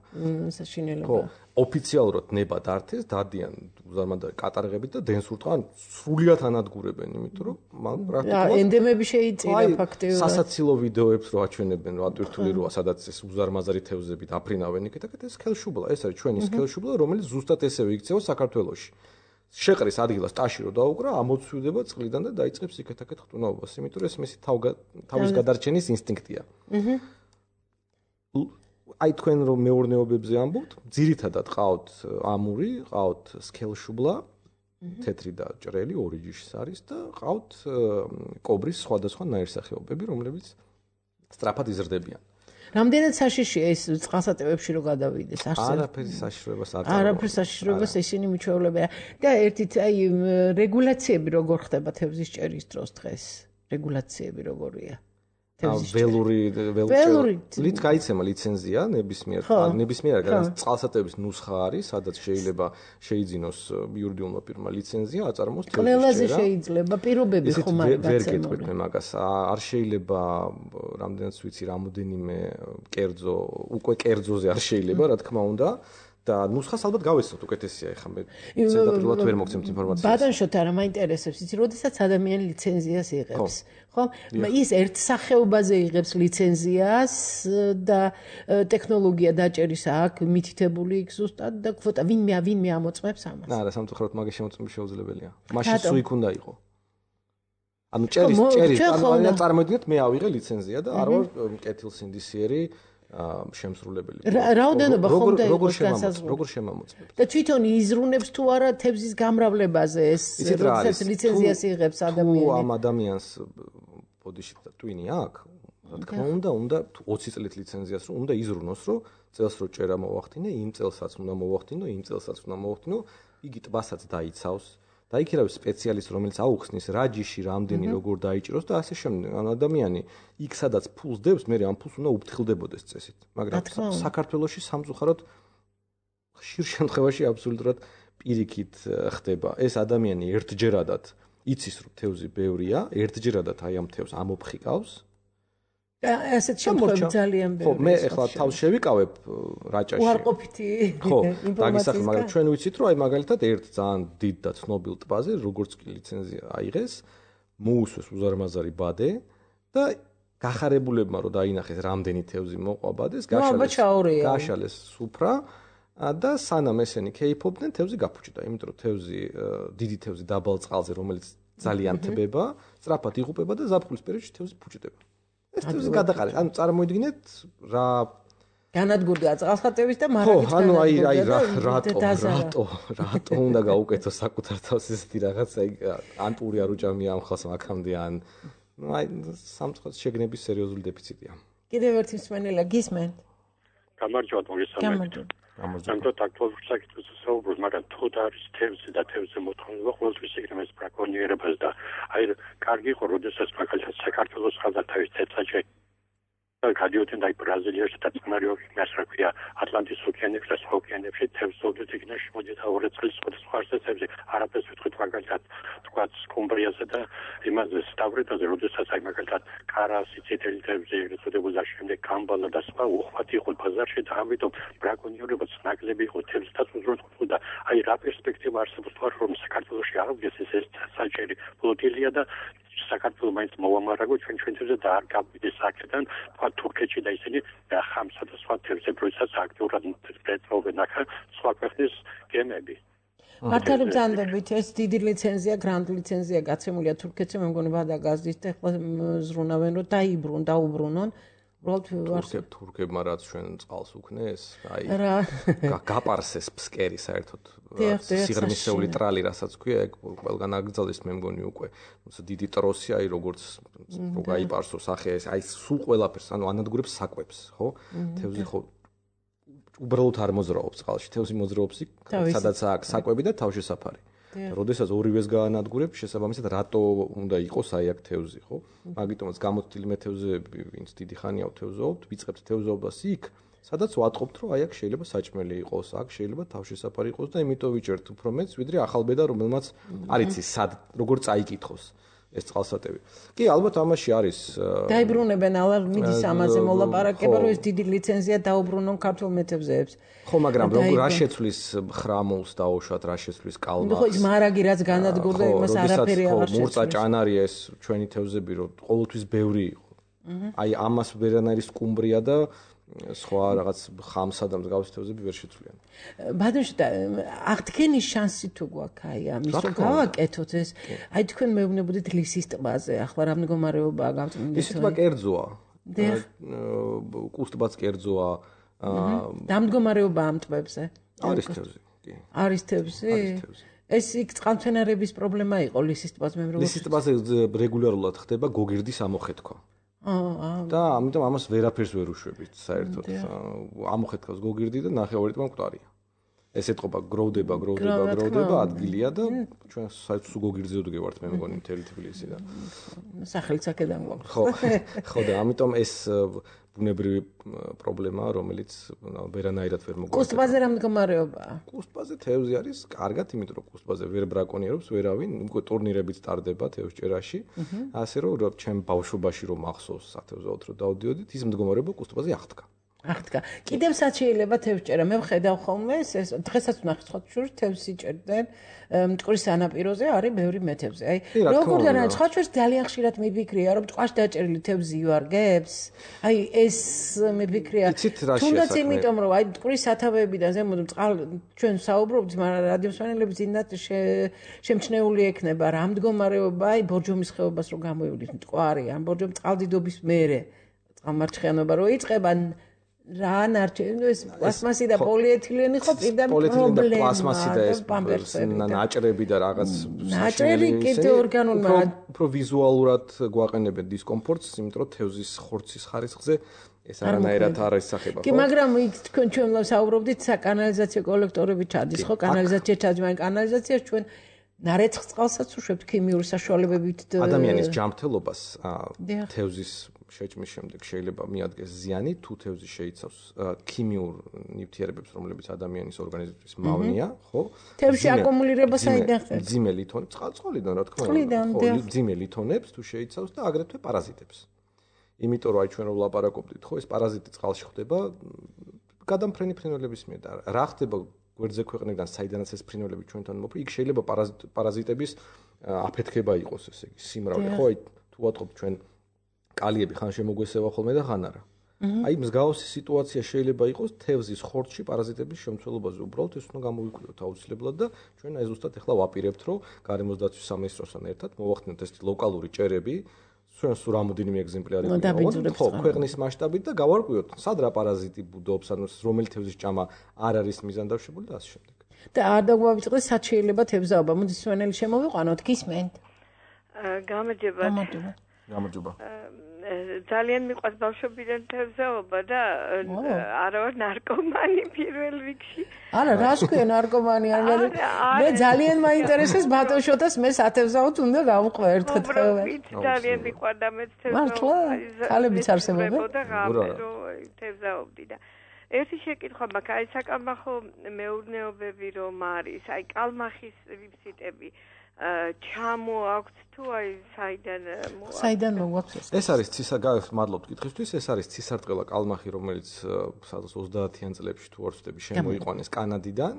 საშინელება.
ხო, ოფიციალურად ნება დართეს, დადიან უზარმაზარი კატარღებით და დენს ურტყან სრულიად ანადგურებენ, იმიტომ რომ
პრაქტიკულად ენდემები შეიწირა ფაქტიურად.
სასაცილო ვიდეოებს რო აჩვენებენ, რომ ატვირთული როა, სადაც ეს უზარმაზარი თევზები დაფრინავენ იქეთ, ეს სქელშუბლა, ეს არის ჩვენი სქელშუბლა, რომელიც ზუსტად ესევე იქცევა საქართველოში. შეყრის ადგილას ტაში რო დაუკრა, ამოცვიდება წყლიდან და დაიწყებს იქეთ-აქეთ ხტუნაობას, იმიტომ რომ ეს მისი თავის გადარჩენის ინსტინქტია. აი თქვენ რომ მეურნეობებზე ამბობთ, ძირითადად ყავთ ამური, ყავთ სქელშუბლა, თეთრი და ჭრელი, ორი ჯიშის არის და ყავთ კობრის სხვადასხვა ნაირსახეობები, რომლებიც სწრაფად იზრდებიან.
რამდენად საშიშია ეს წყალსატევებში რო გადავიდეს არსებობს?
არაფერი საშიშროებას არ აქვს.
არაფერი საშიშროებას ისინი მიჩვეულებია. და ერთით აი რეგულაციები როგორ ხდება თევზის ჭერის დროს დღეს? რეგულაციები როგორია?
ველურით გაიცემა ლიცენზია ნებისმიერ წყალსატევების ნუსხა არის, სადაც შეიძლება შეიძინოს იურიდიულმა პირმა ლიცენზია, აწარმოოს თევზის ჭერა.
ყველაზე შეიძლება პირობები ხომ არის
ვერ გეტყვით მე მაგას. არ შეიძლება რამდენიც ვიცი რამოდენიმე კერძო, უკვე კერძოზე არ შეიძლება, რა თქმა უნდა. და ნუსხას ალბათ გავეცოთ უკეთესია ეხლა მე ზედაპირულად ვერ მოგცემთ ინფორმაციას.
ბატონშოთ არა მაინტერესებს იცი როდესაც ადამიანი ლიცენზიას იღებს ხო ის ერთ სახეობაზე იღებს ლიცენზიას და ტექნოლოგია დაჭერის აქ მითითებული იქ ზუსტად და კვოტა ვინმე ამოწმებს ამას.
არა სამწუხაროდ მაგის შემოწმება შეუძლებელია. მაშინ სულ იქ უნდა იყო. ანუ ჭერის ანუ წარმოიდგინეთ მე ავიღე ლიცენზია და არ ვარ კეთილსინდისიერი შემსრულებელი.
რაოდენობა ხომ და იყოს განსაზღვრული.
როგორ შემამოწმებ?
და თვითონ იზრუნებს თუ არა თევზის გამრავლებაზე ეს როდესაც ლიცენზიას იღებს ადამიანი.
თუ ამ ადამიანს ბოდიში და ტვინი აქვს, რა თქმა უნდა 20 წლით ლიცენზიას რომ უნდა იზრუნოს, რომ წელს რო ჭერა მოვახდინე, იმ წელსაც უნდა მოვახდინო, იმ წელსაც უნდა მოვახდინო, იგი ტბასაც დაიცავს. და იქ ირავის სპეციალისტი, რომელიც აუხსნის რა ჯიში, რამდენი როგორ დაიჭიროს და ასე შემდეგ. ანუ ადამიანი იქ სადაც ფულს დებს, მე ამ ფულს უნდა უფრთხილდებოდეს წესით. მაგრამ საქართველოში სამწუხაროდ ხშირ შემთხვევაში აბსოლუტურად პირიქით ხდება. ეს ადამიანი ერთჯერადად იცის, რომ თევზი ბევრია, ერთჯერადად აი ამ თევზს ამოფხიკავს.
ასეთ შემთხვევაში ძალიან ბევრი.
ხო, მე ახლა თავს შევიკავებ რაჭაში.
უარყოფითი
ინფორმაცია, მაგრამ ჩვენ ვიცით, რომ აი მაგალითად ერთ ძალიან დიდ და ცნობილ ტბაზე, როგორც კი ლიცენზია აიღეს, მოუსვეს უზარმაზარი ბადე და გახარებულებმა რომ დაინახეს რამდენი თევზი მოყვა ბადეს, გაშალეს სუფრა და სანამ ესენი ქეიფობდნენ, თევზი გაფუჭდა, იმიტომ რომ თევზი დიდი თევზი დაბალ წყალზე, რომელიც ძალიან თბება, სწრაფად იღუპება და ზაფხულის პერიოდში თევზი ფუჭდება. ეს თევზი გადაყარეთ. ანუ წარმოიდგინეთ რა
განადგურდა წყალსატევის და მარაგით
განადგურდა. ანუ აი რატო უნდა გაუკეთო საკუთარ თავს ესეთი რაღაცა ან პური არ უჭამია ამ ხალხს აქამდე ან აი სამწუხაროდ შეგნების სერიოზული დეფიციტია.
კიდევ ერთი მსმენელა გისმენთ?
გამარჯობათ მოგესალმებით. ამიტომ აქტუალურ საკითხებზე საუბრობთ, მაგრამ თუ არის თევზი და თევზზე მოთხოვნება ყოველთვის იგრძნობს ბრაკონიერებას და აი კარგი იყო, როდესაც მაგალითად საქართველოს ხალხათავის ცეცხლში გადიოდნენ და ბრაზილიაში და წყნარი ოკეანეში, რა ქვია, ატლანტის ოკეანეში და სხვა ოკეანეებში თევზოვდეთ იქნა შემოდიოდა 2 წლის სხვადასხვა თევზი. არაფერს ვიტყვით მაგალითად თქვა სკუმბრიაზე და იმაზე სტავრეტაზე, როდესაც აი მაგალითად კარასი, წითელი თევზი, ეწოდებოდა შემდეგ გამბალა და სხვა უხვად იყო ბაზარში და ამიტომ ბრაკონიერებაც ნაკლები იყო თევზთან უზრუნველყოფა და აი რა პერსპექტივა არსებობს თუ რომ საქართველოში აღდგეს ეს საჭირო ფლოტილია და საქართველოს მაინც მოვამარაგო ჩვენთვიზე და არ გავიდეს აქედან თქვა თურქეთში და ისინი ხამსა და სხვა თევზებროსაც აქტიურად ეწოვებენ აქ სხვა ქვეყნის გემები.
მართალი ბრძანდებით ეს დიდი ლიცენზია, გრანდ ლიცენზია გაცემულია თურქეთში, მე მგონი ვადა გაზდის და ახლა ზრუნავენ რომ დაუბრუნონ.
უბრალოდ თურქებმა რაც ჩვენ წყალს უქნეს, აი გაპარსეს ფსკერი საერთოდ სიღრმისეული ტრალი, რასაც ქვია, ეგ ყველგან აკრძალეს, მე მგონი უკვე დიდი ტროსი, აი როგორც გაიპარსოს ახე ეს, აი სულ ყველაფერს, ანუ ანადგურებს საკვებს, ხო? თევზი ხო უბრალოდ არ მოძრაობს წყალში, თევზი მოძრაობს იქ, სადაც აქვს საკვები და თავშესაფარი. როდესაც ორივეს გაანადგურებს, შესაბამისად რატო უნდა იყოს აი აქ თევზი, ხო? მაგიტომაც გამოცდილი მე თევზები, ვინც დიდი ხანია თევზობთ, ვიწყებთ თევზობას იქ, სადაც ვატყობთ, რომ აი აქ შეიძლება საჭმელი იყოს, აქ შეიძლება თავშესაფარი იყოს და იმიტომ ვიჭერთ უფრო მეც, ვიდრე ახალბედა, რომელმაც არ იცი სად, როგორ წაიკითხოს ეს წყალსატევი. კი, ალბათ ამაში არის
დაიბრუნებენ, αλλά მიდის ამაზე მოლაპარაკება, რომ ეს დიდი ლიცენზია დაუბრუნონ ქართულ მეთევზეებს.
ხო, მაგრამ რა შეცვლის ხრამულს დაუშვათ, რა შეცვლის კალმახს.
ხო, ის მარაგი რაც განადგურდა, იმას არაფერი აღარ შეცვლის.
მურწა ჭანარია ეს ჩვენი თევზები, რომ ყოველთვის ბევრი იყო. აი ამას ვერანაირი სკუმბრია და სხვა რაღაც ხამსა და მსგავსი თევზები ვერ შეცვლიან.
ბატონო, აღდგენის შანსი თუ გვაქვს აი ამის რომ გავაკეთოთ ეს, აი თქვენ მეუბნებოდით ლისის ტბაზე, ახლა რა მდგომარეობაა გამწმინდეთ?
ლისის ტბა კერძოა. კუსტბაც კერძოა.
დამდგომარეობა ამ ტბებზე?
არის თევზი, კი.
არის თევზი? ეს იქ წყალმცენარების პრობლემა იყო ლისის ტბას მე მგონი.
ლისის ტბაზე რეგულარულად ხდება გოგირდის ამოხეთქვა. და ამიტომ ამას ვერაფერს ვერ უშვებით საერთოდ. ამოხეთქავს გოგირდი და ნახევარი ტბა მკვდარია. ეს ეთყობა გროვდება ადგილია და ჩვენ საერთოდ გოგირდზე ვდგევართ მე მგონი მთელი თბილისი და
სახელიც აქედან გვაქვს.
ხო და ამიტომ ეს ბუნებრივი პრობლემაა, რომელიც ვერანაირად ვერ მოგვარდება.
კუსტბაზე რა მდგომარეობაა?
კუსტბაზე თევზი არის კარგად, იმიტომ რომ კუსტბაზე ვერ ბრაკონიერობს ვერავინ, უკვე ტურნირებიც ტარდება თევზჭერაში. ასე რომ ჩემ ბავშვობაში რომ მახსოვს სათევზაოდ რომ დავდიოდით, ის მდგომარეობა კუსტბაზე აღდგა.
კიდევ სად შეიძლება თევზჭერა? მე ვხედავ ხოლმე ეს დღესაც ვნახე სხვა შორის თევზს იჭერდნენ მტკვრის სანაპიროზე არის ბევრი მეთევზი. აი როგორ და სხვა შორის ძალიან ხშირად მიფიქრია რომ ტყვაში დაჭერილი თევზი იوارგებს. აი ეს მიფიქრია. თუნდაც იმიტომ რომ აი მტკვრის სათავეებიდან ზემოთ ჩვენ საუბრობთ, მაგრამ რადიოსვენელები ძინდად შემჩნეული ექნება რა მდგომარეობა აი ბორჯომის ხეობას რო გამოივლით მტკვარი, ამ ბორჯომის წყალდიდობის მერე წყალმარჩხიანობა რო იწყება რა ნარჩენო ეს პლასმასი და პოლიეთილენი ხო პირდაპირ პრობლემა.
პლასმასი და ეს ნაჭრები და რაღაც
ნაჭრები კიდე ორგანული მაგრამ
უფრო ვიზუალურად გვაყენებენ დისკომფორტს, იმიტომ რომ თევზის ხორცის ხარისხზე ეს არანაირად არ ისახება.
კი, მაგრამ იქ თქვენ ჩვენ საუბრობდით საკანალიზაციო კოლექტორები ჩადის, ხო? კანალიზაცია ჩადის, მაგრამ კანალიზაციაში ჩვენ ნარეცხ წყალსაც უშვებთ ქიმიური საშუალებებით
ადამიანის ჯანმრთელობას თევზის შეჭმის შემდეგ შეიძლება მიადგეს ზიანი თუ თევზი შეიცავს ქიმიურ ნივთიერებებს, რომლებიც ადამიანის ორგანიზმისთვის მავნია, ხო?
თევზში აკუმულირება საიდან ხდება?
მძიმე ლითონებს, წყალიდან რა თქმა უნდა, ხო, მძიმე ლითონებს თუ შეიცავს და აგრეთვე პარაზიტებს. იმიტომ რომ აი ჩვენ რომ ვლაპარაკობდით, ხო, ეს პარაზიტი წყალში ხდება გადამფრენი ფრინველების მიერ და რა ხდება გვერდზე ქვეყნიდან, საიდანაც ეს ფრინველები ჩვენთან მოფრი, იქ შეიძლება პარაზიტების აფეთქება იყოს, ესე იგი, სიმრავლე, ხო, აი თუ ვატყობთ ჩვენ კალიები ხან შემოგვესევა ხოლმე და ხან არა. აი მსგავსი სიტუაცია შეიძლება იყოს თევზის ხორცში პარაზიტების შემცველობაზე, უბრალოდ ეს უნდა გამოვიკვლიოთ აუცილებლად და ჩვენ აი ზუსტად ახლა ვაპირებთ, რომ გარემოს დაცვის სამინისტროსთან ერთად მოვახდინოთ ეს ლოკალური ჭერები, ჩვენ სულ რამოდენიმე ეგზემპლარი გვაქვს, ხო, ქვეყნის მასშტაბით და გავარკვიოთ, სად რა პარაზიტი ბუდობს, ანუ რომელი თევზის ჭამა არ არის მიზანდავშებული და ასე შემდეგ.
და არ დაგვავიწყდეს სად შეიძლება თევზაობა, მოდი სვენელი შემოვიყვანოთ, გისმენთ?
გამარჯობა.
ძალიან მიყვარს ბავშვობიდან თევზაობა და არა ვარ ნარკომანი პირველ რიგში.
არა, რას ქვია ნარკომანი? მე ძალიან მაინტერესებს ბატონშოთას მე სათევზაოდ უნდა გავყვე ერთხელ თევზს.
ძალიან მიყვარდა მე თევზაობა.
მართლა? ხალებიც არსებობენ?
თევზაობდი და ერთი შეკითხვა მაქვს, აი საკალმახო მეურნეობები რომ არის, აი კალმახის რიფსიტები ჩამოაქვთ თუ აი
საიდან მოგვაქვს
ეს არის მადლობთ კითხვისთვის, ეს არის ცისარტყელა კალმახი, რომელიც 30-იან წლებში თუ არ ვცდები შემოიყვანეს კანადიდან.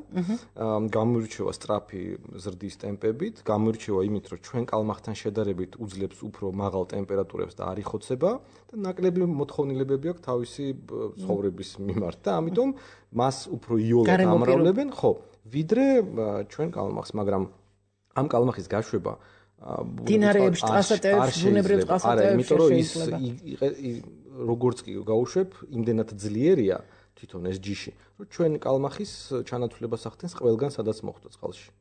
გამოირჩევა სწრაფი ზრდის ტემპებით, გამოირჩევა იმით, რომ ჩვენ კალმახთან შედარებით უძლებს უფრო მაღალ ტემპერატურებს და არ იხოცება და ნაკლები მოთხოვნილებები აქვს თავისი ცხოვრების მიმართ და ამიტომ მას უფრო იოლად ამრავლებენ, ხო, ვიდრე ჩვენ კალმახს, მაგრამ ამ კალმახის გაშვება
დინარეებში წყალსატევებში, ბუნებრივ წყალსატევებში
იმიტომ რომ ის როგორც კი გაუშვებ, იმდენად ძლიერია თვითონ ეს ჯიში, რომ ჩვენ კალმახის ჩანაცვლებას ახდენს ყველგან სადაც მოხვდა წყალში.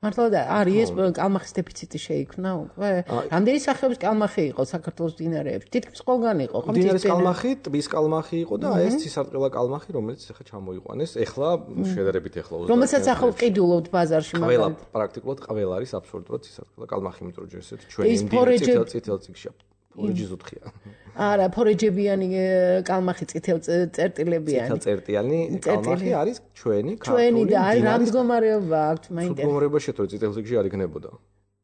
მართლა და არის კალმახის დეფიციტი შეიქმნა უკვე? რამდენი სახეობის კალმახი იყო საქართველოს დინარეებში? თითქმის ყველგან იყო,
ხო? დინარის კალმახი, ტბის კალმახი იყო და ეს ცისარტყელა კალმახი, რომელიც ახლა ჩამოიყვანეს, ახლა შედარებით ახლა
რომელსაც ახლა ყიდულობთ ბაზარში
მაგალითად. ყველა პრაქტიკულად ყველა არის აბსოლუტურად ცისარტყელა კალმახი, იმიტომ რომ ჯერ ესეთი ჩვენი წითელ წიგში ფორეჯი ზუთხია.
არა, ფორეჯებიანი კალმახი წერტილებიანი.
წერტიანი კალმახი არის ჩვენი
ქართული. ჩვენი და აი რა მდგომარეობა აქვს, მაინტერესებს.
მდგომარეობა შეთო წითელ წიგში არ იქნებოდა.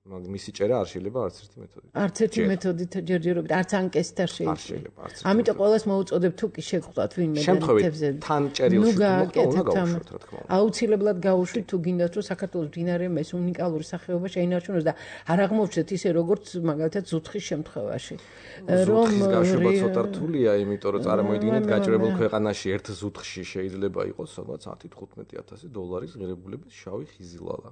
მისი წერა არ შეიძლება არც ერთი მეთოდით.
არც ერთი მეთოდით ჯერჯერობით, არც ანკესით არ შეიძლება. ამიტომ ყველას მოუწოდებ თუ კი შეგხვდათ ვინმე
შემთხვევით თან წერილში უნდა გავუშვათ რა თქმა უნდა.
აუცილებლად გავუშვით თუ გინდათ რომ საქართველოს მდინარეა ეს უნიკალური სახეობა შეინარჩუნოს და არ აღმოჩნდეთ ისე როგორც მაგალითად ზუთხის შემთხვევაში.
ზუთხის გაშვება ცოტა რთულია, იმიტომ რომ წარმოიდგინეთ გაჭირებულ ქვეყანაში ერთ ზუთხში შეიძლება იყოს სადღაც 10-15,000 დოლარის ღირებულების შავი ხიზილალა.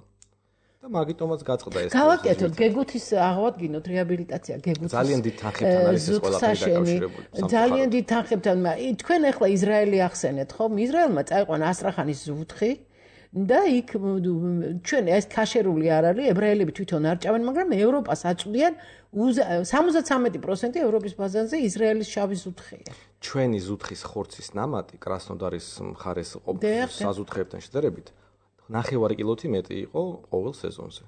და მაგიტომაც გაწყდა ეს.
გავაკეთოთ გეგუთის აღვადგინოთ რეაბილიტაცია გეგუთის.
ძალიან დიდ თანხებთან არის ეს ყველაფერი დაკავშირებული.
ძალიან დიდ თანხებთან. თქვენ ახლა ისრაელი ახსენეთ, ხო? ისრაელმა წაიყვანა ასტრახანის ზუთხი და იქ ჩვენ ეს ქაშერული არ არის, ებრაელები თვითონ არ ჭამენ, მაგრამ ევროპას აწვდიან 73% ევროპის ბაზარზე ისრაელის შავი ზუთხია.
ჩვენი ზუთხის ხორცის ნამატი კრასნოდარის მხარეს ყოფილი საზუთხეებთან შედარებით 9 კილოთი მეტი იყო ყოველ სეზონზე.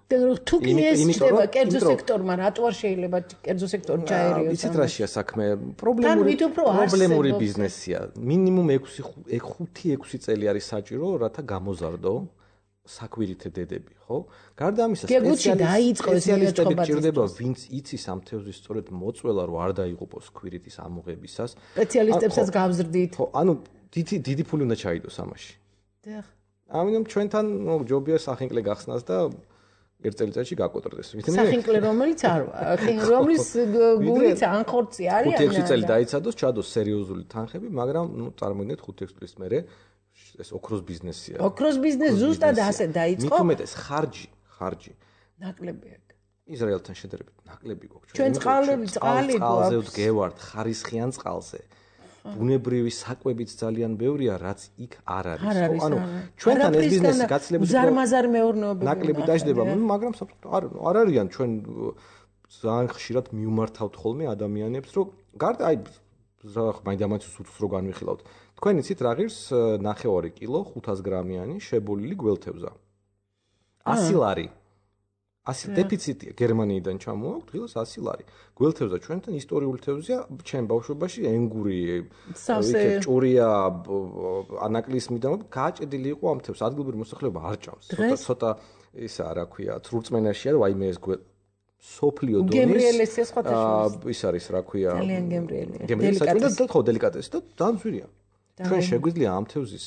თუ კი ეს ხდება კერძო სექტორმა, რატო არ შეიძლება კერძო სექტორი ჩაერიოს?
იცით რაშია საქმე? პრობლემური ბიზნესია. მინიმუმ 5-6 წელი არის საჭირო, რათა გამოზარდო საკვირითე დედები, ხო? გარდა ამისა, სპეციალისტები ჭირდება, ვინც იცის ამ თევზის სწორედ მოწველა, რომ არ დაიღუპოს ქვირითის ამოღებისას.
სპეციალისტებსაც გავზრდით.
ხო, ანუ დიდი ფული უნდა ჩაიდოს ამაში.
დიახ.
ამიტომ ჩვენთან ჯობია სახინკლე გახსნას და ერთ წელიწადში გაკოტრდეს.
სახინკლე რომელიც არ რომლის გულიც ანხორცი არის.
5-6 წელი დაიცადოს, ჩადოს სერიოზული თანხები, მაგრამ წარმოიდგინეთ 5-6 წლის მერე ეს ოქროს ბიზნესია.
ოქროს ბიზნესი ზუსტად ასე დაიწყო.
მით უმეტეს ხარჯი.
ნაკლები აქვს.
ისრაელთან შედარებით ნაკლები გვაქვს.
ჩვენ წყალი
წყალზე ვდგევართ ხარისხიან წყალზე. ბუნებრივი საკვებიც ძალიან ბევრია, რაც იქ არ არის. ანუ ჩვენთან ეს ბიზნესი გაცილებით
ზარმაზარ მეურნეობები
ნაკლები დაждდება, მაგრამ არ არიან ჩვენ ძალიან ხშირად მიუმართავთ ხოლმე ადამიანებს, რომ გარდა აი მაინდამაინც უცხოს რო განვიხილავთ. თქვენ იცით რა ღირს 9 კილო 500 გრამიანი შებოლილი გველთევზა. 100 ლარი. 100 დეფიციტია გერმანიიდან ჩამოაქვს დღეს 100 ლარი. გველთევზა ჩვენთან ისტორიული თევზია, ჩვენ ბავშვობაში ენგური, ჭურია, ანაკლის მიდამო გააჭედილი იყო ამ თევზს. ადგილობრივი მოსახლეობა არ ჭამს. ცოტა ისა რა ქვია, ცრურწმენაშია, რომ აიმე ეს სოფლიო დონის
გემრიელესია სხვათა
ის არის რა ქვია.
ძალიან გემრიელია.
დელიკატესი. ხო, დელიკატესი და დამძვირია. ჩვენ შეგვიძლია ამ თევზის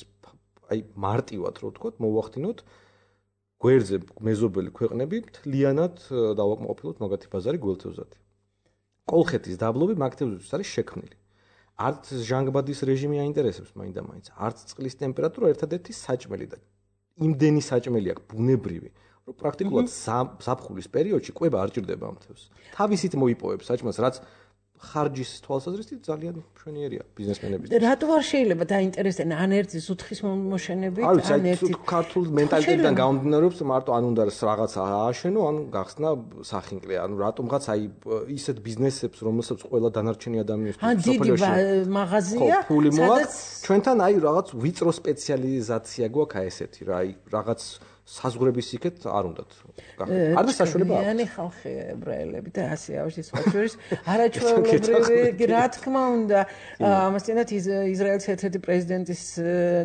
აი მარტივად რო ვთქოთ, მოვახდინოთ გვერდზე მეზობელი ქვეყნები მთლიანად დავაკმაყოფილოთ მაგათი ბაზარი გველთევზათი. კოლხეთის დაბლობი მაგ თევზისთვის არის შექმნილი. არც ჟანგბადის რეჟიმი აინტერესებს მაინდამაინც, არც წყლის ტემპერატურა ერთადერთი საჭმელი და იმდენი საჭმელი აქვს ბუნებრივი, რომ პრაქტიკულად ზაფხულის პერიოდში კვება არ ჭირდება ამ თევზს. თავისით მოიპოვებს საჭმელს, რაც ხარჯის თვალსაზრისით ძალიან მშვენიერია ბიზნესმენების.
რატო არ შეიძლება დაინტერესდნენ ან ერთი ზუთხის მოშენებით, ან ერთი
ქართულ მენტალიტეტიდან გამომდინარეობს, მარტო ან უნდა რაღაც ააშენო, ან გახსნა სახინკლე, ანუ რატომღაც აი ისეთ ბიზნესებს, რომელსაც ყველა დანარჩენი ადამიანისთვის
სოფლიოში მაღაზია,
სადაც ჩვენთან აი რაღაც ვიწრო სპეციალიზაცია გვაქვს აი ესეთი რა, აი რაღაც საზღვრების იქეთ არ უნდათ. არ და საშუალება აქვს.იანი
ხალხი ებრაელები და ასე ავშის სხვაშორის არაჩვეულებრივი რა თქმა უნდა ამასთანავე ისრაელის ერთ-ერთი პრეზიდენტის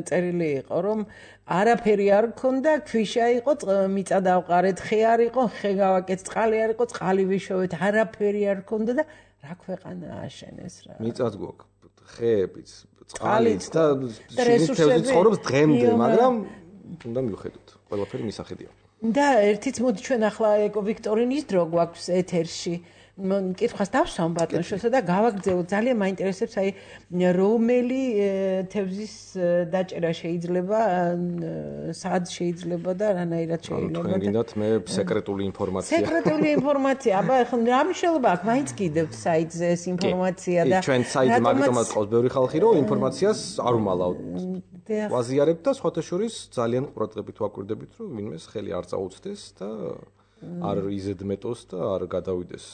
წერილი იყო რომ არაფერი არ ქონდა, ქვიშა იყო, მიწა დავყარეთ, ხე არ იყო, ხე გავაკეთ, წყალი არ იყო, წყალი ვიშოვეთ, არაფერი არ ქონდა და რა ქვეყანა ააშენეს რა.
მიწაც გვაქვს, ხეებიც, წყალიც და შინით ცხოვრობს დღემდე, მაგრამ უნდა მივხედოთ. ყველაფერი მისახედია.
და ერთიც მოდი ჩვენ ახლა ეკო ვიქტორინის დრო გვაქვს ეთერში. კითხვას დავსვამ ბატონშოსა და გავაგრძელოთ. ძალიან მაინტერესებს აი რომელი თევზის დაჭერა შეიძლება, სად შეიძლება და რანაირად შეიძლება.
თქვენ გინდათ მე სეკრეტული ინფორმაცია.
სეკრეტული ინფორმაცია. აბა ახლა რა მნიშვნელობა აქვს? მაინც კიდევ საიტზე ეს ინფორმაცია და
ჩვენ საიტზე მაგიტომაც ყავს ბევრი ხალხი, რომ ინფორმაციას არ უმალავთ. ვაზიარებთ და სხვათა შორის ძალიან ყურადღებით ვაკვირდებით, რომ ვინმეს ხელი არ წაუწდეს და არ იზედმეტოს და არ გადავიდეს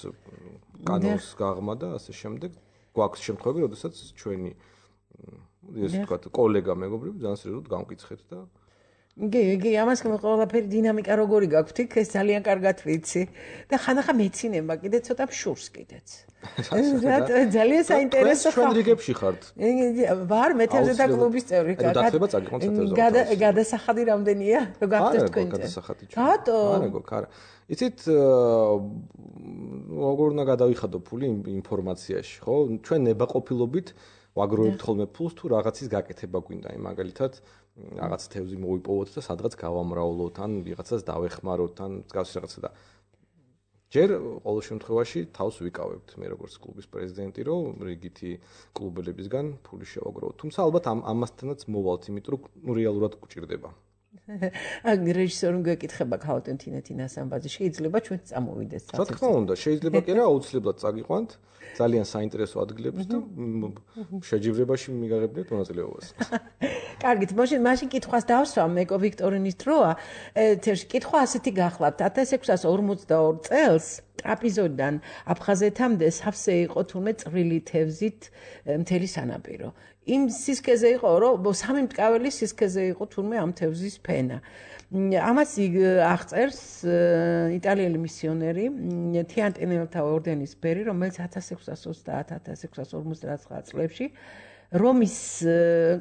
კანონს გაღმა და ასე შემდეგ. გვაქვს შემთხვევები, როდესაც ჩვენი ესე ვთქვათ, კოლეგა მეგობრები ძალიან სერიოზულად გამკითხეთ და
იგი ამას ყველაფერი დინამიკა როგორი გაქვთ იქ ეს ძალიან კარგად ვიცი და ხანახა მეცინება კიდე ცოტა შურს კიდეც ძალიან საინტერესო
ჩვენ რიგებში ხართ
ვარ მეთევზე და კლუბის წევრი გადასახადი რამდენია რო გახდეთ თქვენ
გადასახადი
რატო
არა იცით როგორ უნდა გადავიხადო ფული ინფორმაციაში ხო ჩვენ ნებაყოფილობით ვაგროვებთ ხოლმე ფულს თუ რაღაცის გაკეთება გვინდა აი მაგალითად რაღაც თევზი მოვიპოვოთ და სადღაც გავამრავლოთ ან ვიღაცას დავეხმაროთ ან მსგავსი რაღაცა და ჯერ ყოველ შემთხვევაში თავს ვიკავებთ მე როგორც კლუბის პრეზიდენტი რომ რიგითი კლუბელებისგან ფული შევაგროვოთ თუმცა ალბათ ამასთანაც მოვალთ იმიტომ რომ რეალურად გვჭირდება
აგ რეჟისორს გეკითხება ქალბატონ თინათინას ამბაზე შეიძლება ჩვენ წამოვიდეს
რა თქმა უნდა შეიძლება კი რა აუცილებლად წაგიყვანთ ძალიან საინტერესო ადგილებს და შეჯიბრებაში მიგაღებინებთ მონაწილეობას
კარგით მაშინ კითხვას დავსვამ მეკო ვიქტორინის დროა ეთერში კითხვა ასეთი გახლავთ 1642 წელს ტრაპიზოდან აფხაზეთამდე სავსე იყო თურმე წვრილი თევზით მთელი სანაპირო იმ სისქეზე იყო რომ სამი მტკაველი სისქეზე იყო თურმე ამ თევზის ფენა ამას აღწერს იტალიელი მისიონერი თიანტინელთა ორდენის ბერი რომელიც 1630-1659 წლებში რომის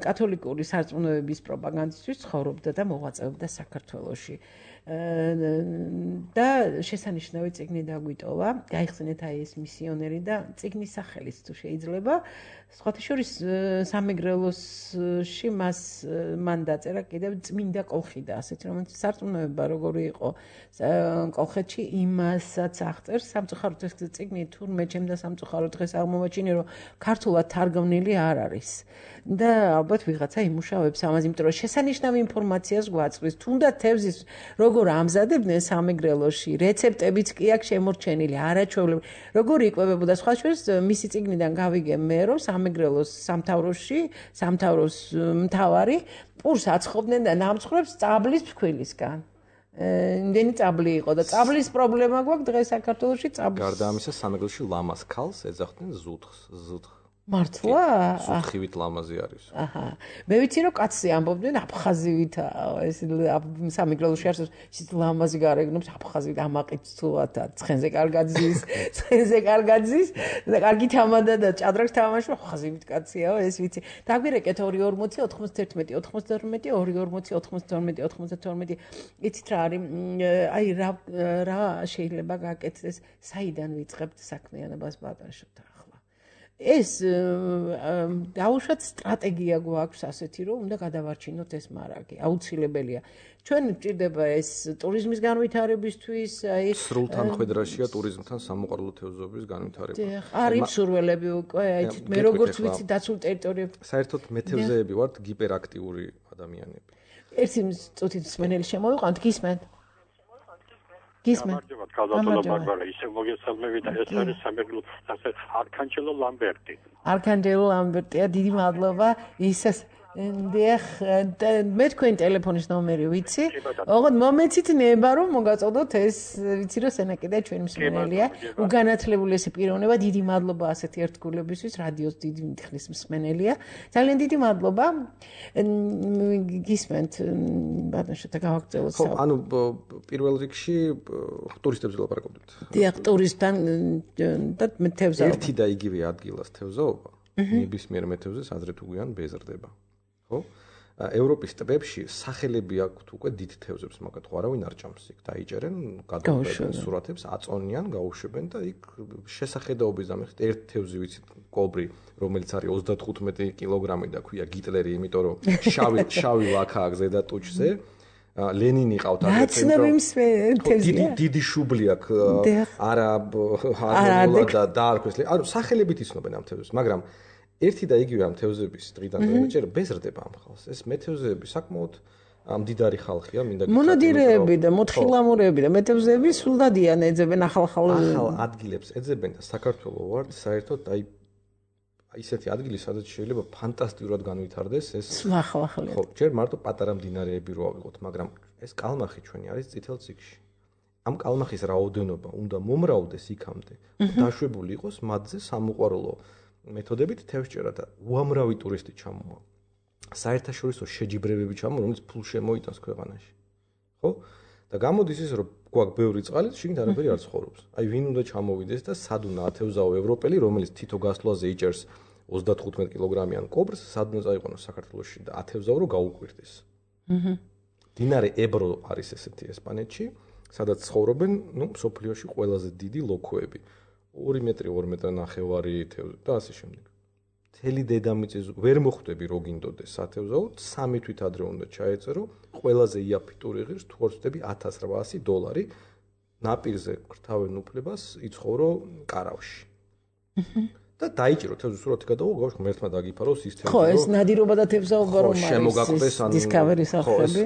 კათოლიკური სარწმუნოების პროპაგანდისთვის ცხოვრობდა და მოღვაწეობდა საქართველოში და შესანიშნავი წიგნი დაგვიტოვა გაიხსენეთ აი ეს მისიონერი და წიგნის სახელიც თუ შეიძლება სხვათა შორის სამეგრელოსში მან დაწერა კიდევ წმინდა კოლხიდა ასეთი რომელიც სარწმუნოება როგორი იყო კოლხეთში იმასაც აღწერს სამწუხაროდ ეს წიგნი თურმე ჩემდა სამწუხაროდ დღეს აღმოვაჩინე რომ ქართულად თარგმნილი არ არის და ალბათ ვიღაცა იმუშავებს ამაზე იმიტომ რომ შესანიშნავი ინფორმაციას გვაწვდის თუნდაც თევზის როგორ ამზადებდნენ სამეგრელოში რეცეპტებიც კი აქვს შემორჩენილი არაჩვეულებრივი როგორი იკვებებოდა სხვა შორის მისი წიგნიდან გავიგე მე რომ სამეგრელოს სამთავროს მთავარი პურს აცხობდნენ და ნამცხრებს წაბლის ფქვილისგან იმდენი წაბლი იყო და წაბლის პრობლემა გვაქვს დღეს საქართველოში წაბლის
გარდა ამისა სამეგრელოში ლამას ქალს ეძახდნენ ზუთხს
მართლა?
სუთხივით ლამაზი არის.
აჰა. მე ვიცი რომ კაცი ამბობდნენ აფხაზივითა ეს სამეგრელოში არის ის ლამაზი გარეგნობს აფხაზივით ამაყით სულათა ცხენზე კარგად ზის და კარგი თამადა და ჭადრაკს თამაში აფხაზივით კაციაო ეს ვიცი. დაგვირეკეთ 240 91 92 240 92 92 იცით რა არის აი რა შეიძლება გაკეთდეს საიდან ვიწყებთ საქმიანობას ბატონშობთან ეს დაუშვათ სტრატეგია გვაქვს ასეთი რომ უნდა გადავარჩინოთ ეს მარაგი აუცილებელია ჩვენ გვჭირდება ეს ტურიზმის განვითარებისთვის აი
სრულთანხედრაშია ტურიზმთან სამოყვარულო თევზების განვითარება
არის მსურველები უკვე აი მე როგორც ვიცი დაცულ ტერიტორიებში
საერთოდ მეთევზეები ვართ გიპერაქტიული ადამიანები
ერთი წუთით მსმენელი შემოვიყვანთ გისმენთ
გამარჯობა ქალბატონო ბარბარა ისე მოგესალმები და ეს არის სამეგრელოს ასე არქანჯელო ლამბერტი
არქანჯელო ლამბერტია დიდი მადლობა ისეს დიახ მე თქვენ ტელეფონის ნომერი ვიცი ოღონდ მომეცით ნება რომ მოგაწოდოთ ეს ვიცი რომ სენაკიდა ჩვენი მსმენელია უგანათლებულესი პიროვნება დიდი მადლობა ასეთი ერთგულებისთვის რადიოს დიდი ხნის მსმენელია ძალიან დიდი მადლობა გისმენთ ბატონშოთა გავაგრძელოთ
ხო ანუ პირველ რიგში ტურისტებზე ლაპარაკობთ
დიახ ტურისტთან და მეთევზაობა
ერთი და იგივე ადგილას თევზაობა ნებისმიერ მეთევზეს ადრე თუ გვიან ბეზრდება ხო ევროპის ტბებში სახელები აქვთ უკვე დიდ თევზებს მაგათ ხო არავინ არ ჭამს იქ დაიჭერენ გადაუშვენ სურათებს აწონიან გაუშვებენ და იქ შესახედაობის დამეხით ერთ თევზი ვიცით კობრი რომელიც არის 35 კილოგრამი და ქვია გიტლერი იმიტომ რომ შავი ლაქა აქვს ზედა ტუჩზე ლენინი ყავთ დიდი შუბლი აქვს არა და დაარქვეს ანუ სახელებით იცნობენ ამ თევზებს მაგრამ ერთი და იგივე ამ თევზების დღიდან დღემდე ბეზრდება ამ ხალხს ეს მეთევზეები საკმაოდ მდიდარი ხალხია მინდა გითხრათ
მონოდირეები და მოთხილამურეები და მეთევზეები სულდადიან ეძებენ ახალ
ადგილებს ეძებენ და საქართველოს ვართ საერთოდ აი ისეთი ადგილი სადაც შეიძლება ფანტასტიკურად განვითარდეს ეს
ხო
ჯერ მარტო პატარა მდინარეები რო ავიღოთ მაგრამ ეს კალმახი ჩვენი არის წითელ ციგში ამ კალმახის რაოდენობა უნდა მომრავლდეს იქამდე დაშვებული იყოს მათზე სამოყვარულო მეთოდებით თევზჭერა და უამრავი ტურისტი ჩამოვა საერთაშორისო შეჯიბრებები ჩამო, რომელიც ფულს შემოიტანს ქვეყანაში. ხო? და გამოდის ის, რომ გვაქვს ბევრი წყალი, შიგნით არაფერი არ ცხოვრობს. აი, ვინ უნდა ჩამოვიდეს და სად უნდა ათევზაო ევროპელი, რომელიც თითო გასვლაზე იჭერს 35 კილოგრამიან კობრს, სად უნდა წაიყვანოს საქართველოში და ათევზაო რომ გაუკვირდეს. მდინარე ებრო არის ესეთი ესპანეთში, სადაც ცხოვრობენ, მსოფლიოში ყველაზე დიდი ლოქოები. 2 მეტრი, 2 მეტრი ნახევარი თევზი და ასე შემდეგ. მთელი დედამიწის ვერ მოხვდები რო გინდოდეს ათევზაო, 3 თვით ადრე უნდა ჩაეწერო, ყველაზე იაფი ტური ღირს თუ არ ვწდები $1800 ნაპირზე გრთავენ უფლებას იცხოვრო კარავში. და დაიჭირო თევზი სურათი გადაუღო, გავშ ღმერთმა დაგიფაროს ის თევზი.
ხო, ეს ნადირობა და თევზაობა რომ არის.
შემოგაკვდეს ანუ
Discovery სახელი.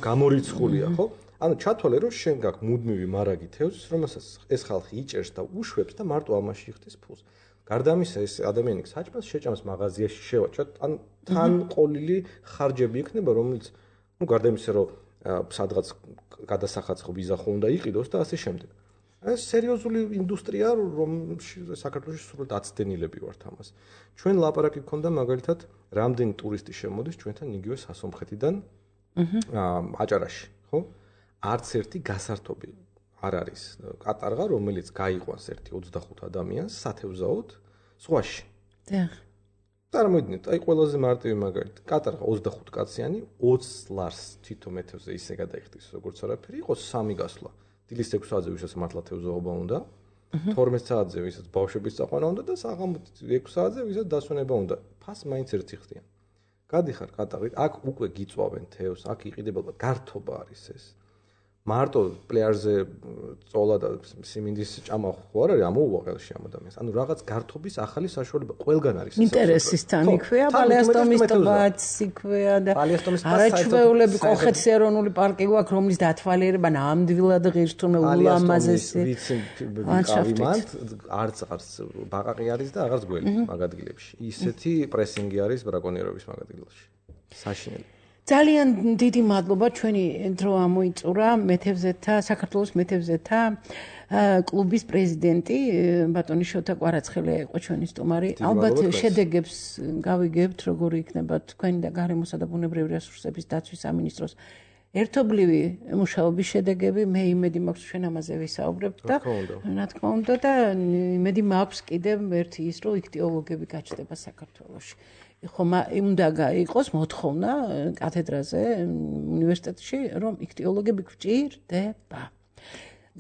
გამორიცხულია, ხო? ანუ ჩათვალე რომ შენ გაქვს მუდმივი მარაგი თევზის, რომელსაც ეს ხალხი იჭერს და უშვებს და მარტო ამაში იხდის ფულს. გარდა ამისა ეს ადამიანი საჭმელს შეჭამს მაღაზიაში შევაჭრათ, ან თან ყოლილი ხარჯები იქნება, რომელიც გარდა იმისა რომ სადღაც გადასახაცხო ვიზა ხო უნდა იყიდოს და ასე შემდეგ. ეს სერიოზული ინდუსტრია, რომელში საქართველოში სრულად აცდენილები ვართ ამას. ჩვენ ლაპარაკი გქონდა მაგალითად, რამდენი ტურისტი შემოდის ჩვენთან იგივე სასომხეთიდან აჭარაში, ხო? არც ერთი გასართობი არ არის კატარღა, რომელიც გაიყვანს ერთი 25 ადამიანს სათევზაოდ ზღვაში.
დიახ.
წარმოიდგინეთ, აი ყველაზე მარტივი მაგალითი, კატარღა 25 კაციანი 20 ლარს თითო მეთევზე ისე გადაიხდის, როგორც არაფერი, იყოს 3 გასვლა. დილის 6 საათზე ვისაც მართლა თევზაობა უნდა, 12 საათზე ვისაც ბავშვების წაყვანა უნდა და საღამოს 6 საათზე ვისაც დასვენება უნდა. ფას მაინც ერთი ხდიან. გადიხარ კატარით, აქ უკვე გიწვავენ თევზს, აქ იყიდება გართობა არის ეს. მარტო პლეაჟზე წოლა და სიმინდის ჭამა ხო არ არის ამოუვა ხელში ამ ადამიანს. ანუ რაღაც გართობის ახალი საშუალება ყველგან არის.
ინტერესისთან იქვეა, პალეასტომის ტბაც იქვეა და არაჩვეულები კოლხეთის ეროვნული პარკი გვაქვს, რომლის დათვალიერება ნამდვილად ღირს თუნდაც ულამაზესი.
ლანდშაფტით არც ბაყაყი არის და აღარც გველი მაგ ადგილებში. ისეთი პრესინგი არის ბრაკონიერების მაგ ადგილებში. საშინელი.
ძალიან დიდი მადლობა ჩვენი დრო ამოიწურა მეთევზეთა საქართველოს მეთევზეთა კლუბის პრეზიდენტი ბატონი შოთა კვარაცხელია იყო ჩვენი სტუმარი. ალბათ შედეგებს გავიგებთ როგორი იქნება თქვენი და გარემოსა და ბუნებრივი რესურსების დაცვის სამინისტროს ერთობლივი მუშაობის შედეგები. მე იმედი მაქვს ჩვენ ამაზე ვისაუბრებთ და რა თქმა უნდა და იმედი მაქვს კიდევ ერთი ის რომ იქტიოლოგები გაჩნდება საქართველოში. ხომ უნდა იყოს მოთხოვნა კათედრაზე უნივერსიტეტში რომ იქტიოლოგები გვჭირდება.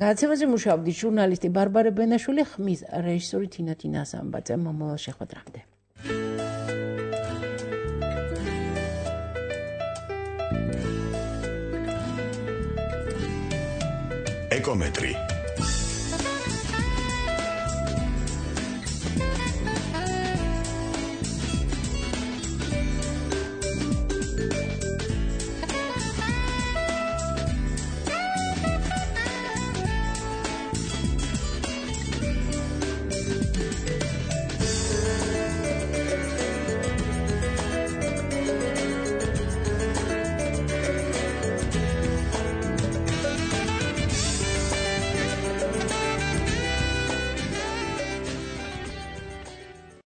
გადაცემაზე მუშაობდი ჟურნალისტი ბარბარე ბენაშვილი, ხმის რეჟისორი თინა თინასამბაძე. მომავალ შეხვედრამდე.
ეკომეტრი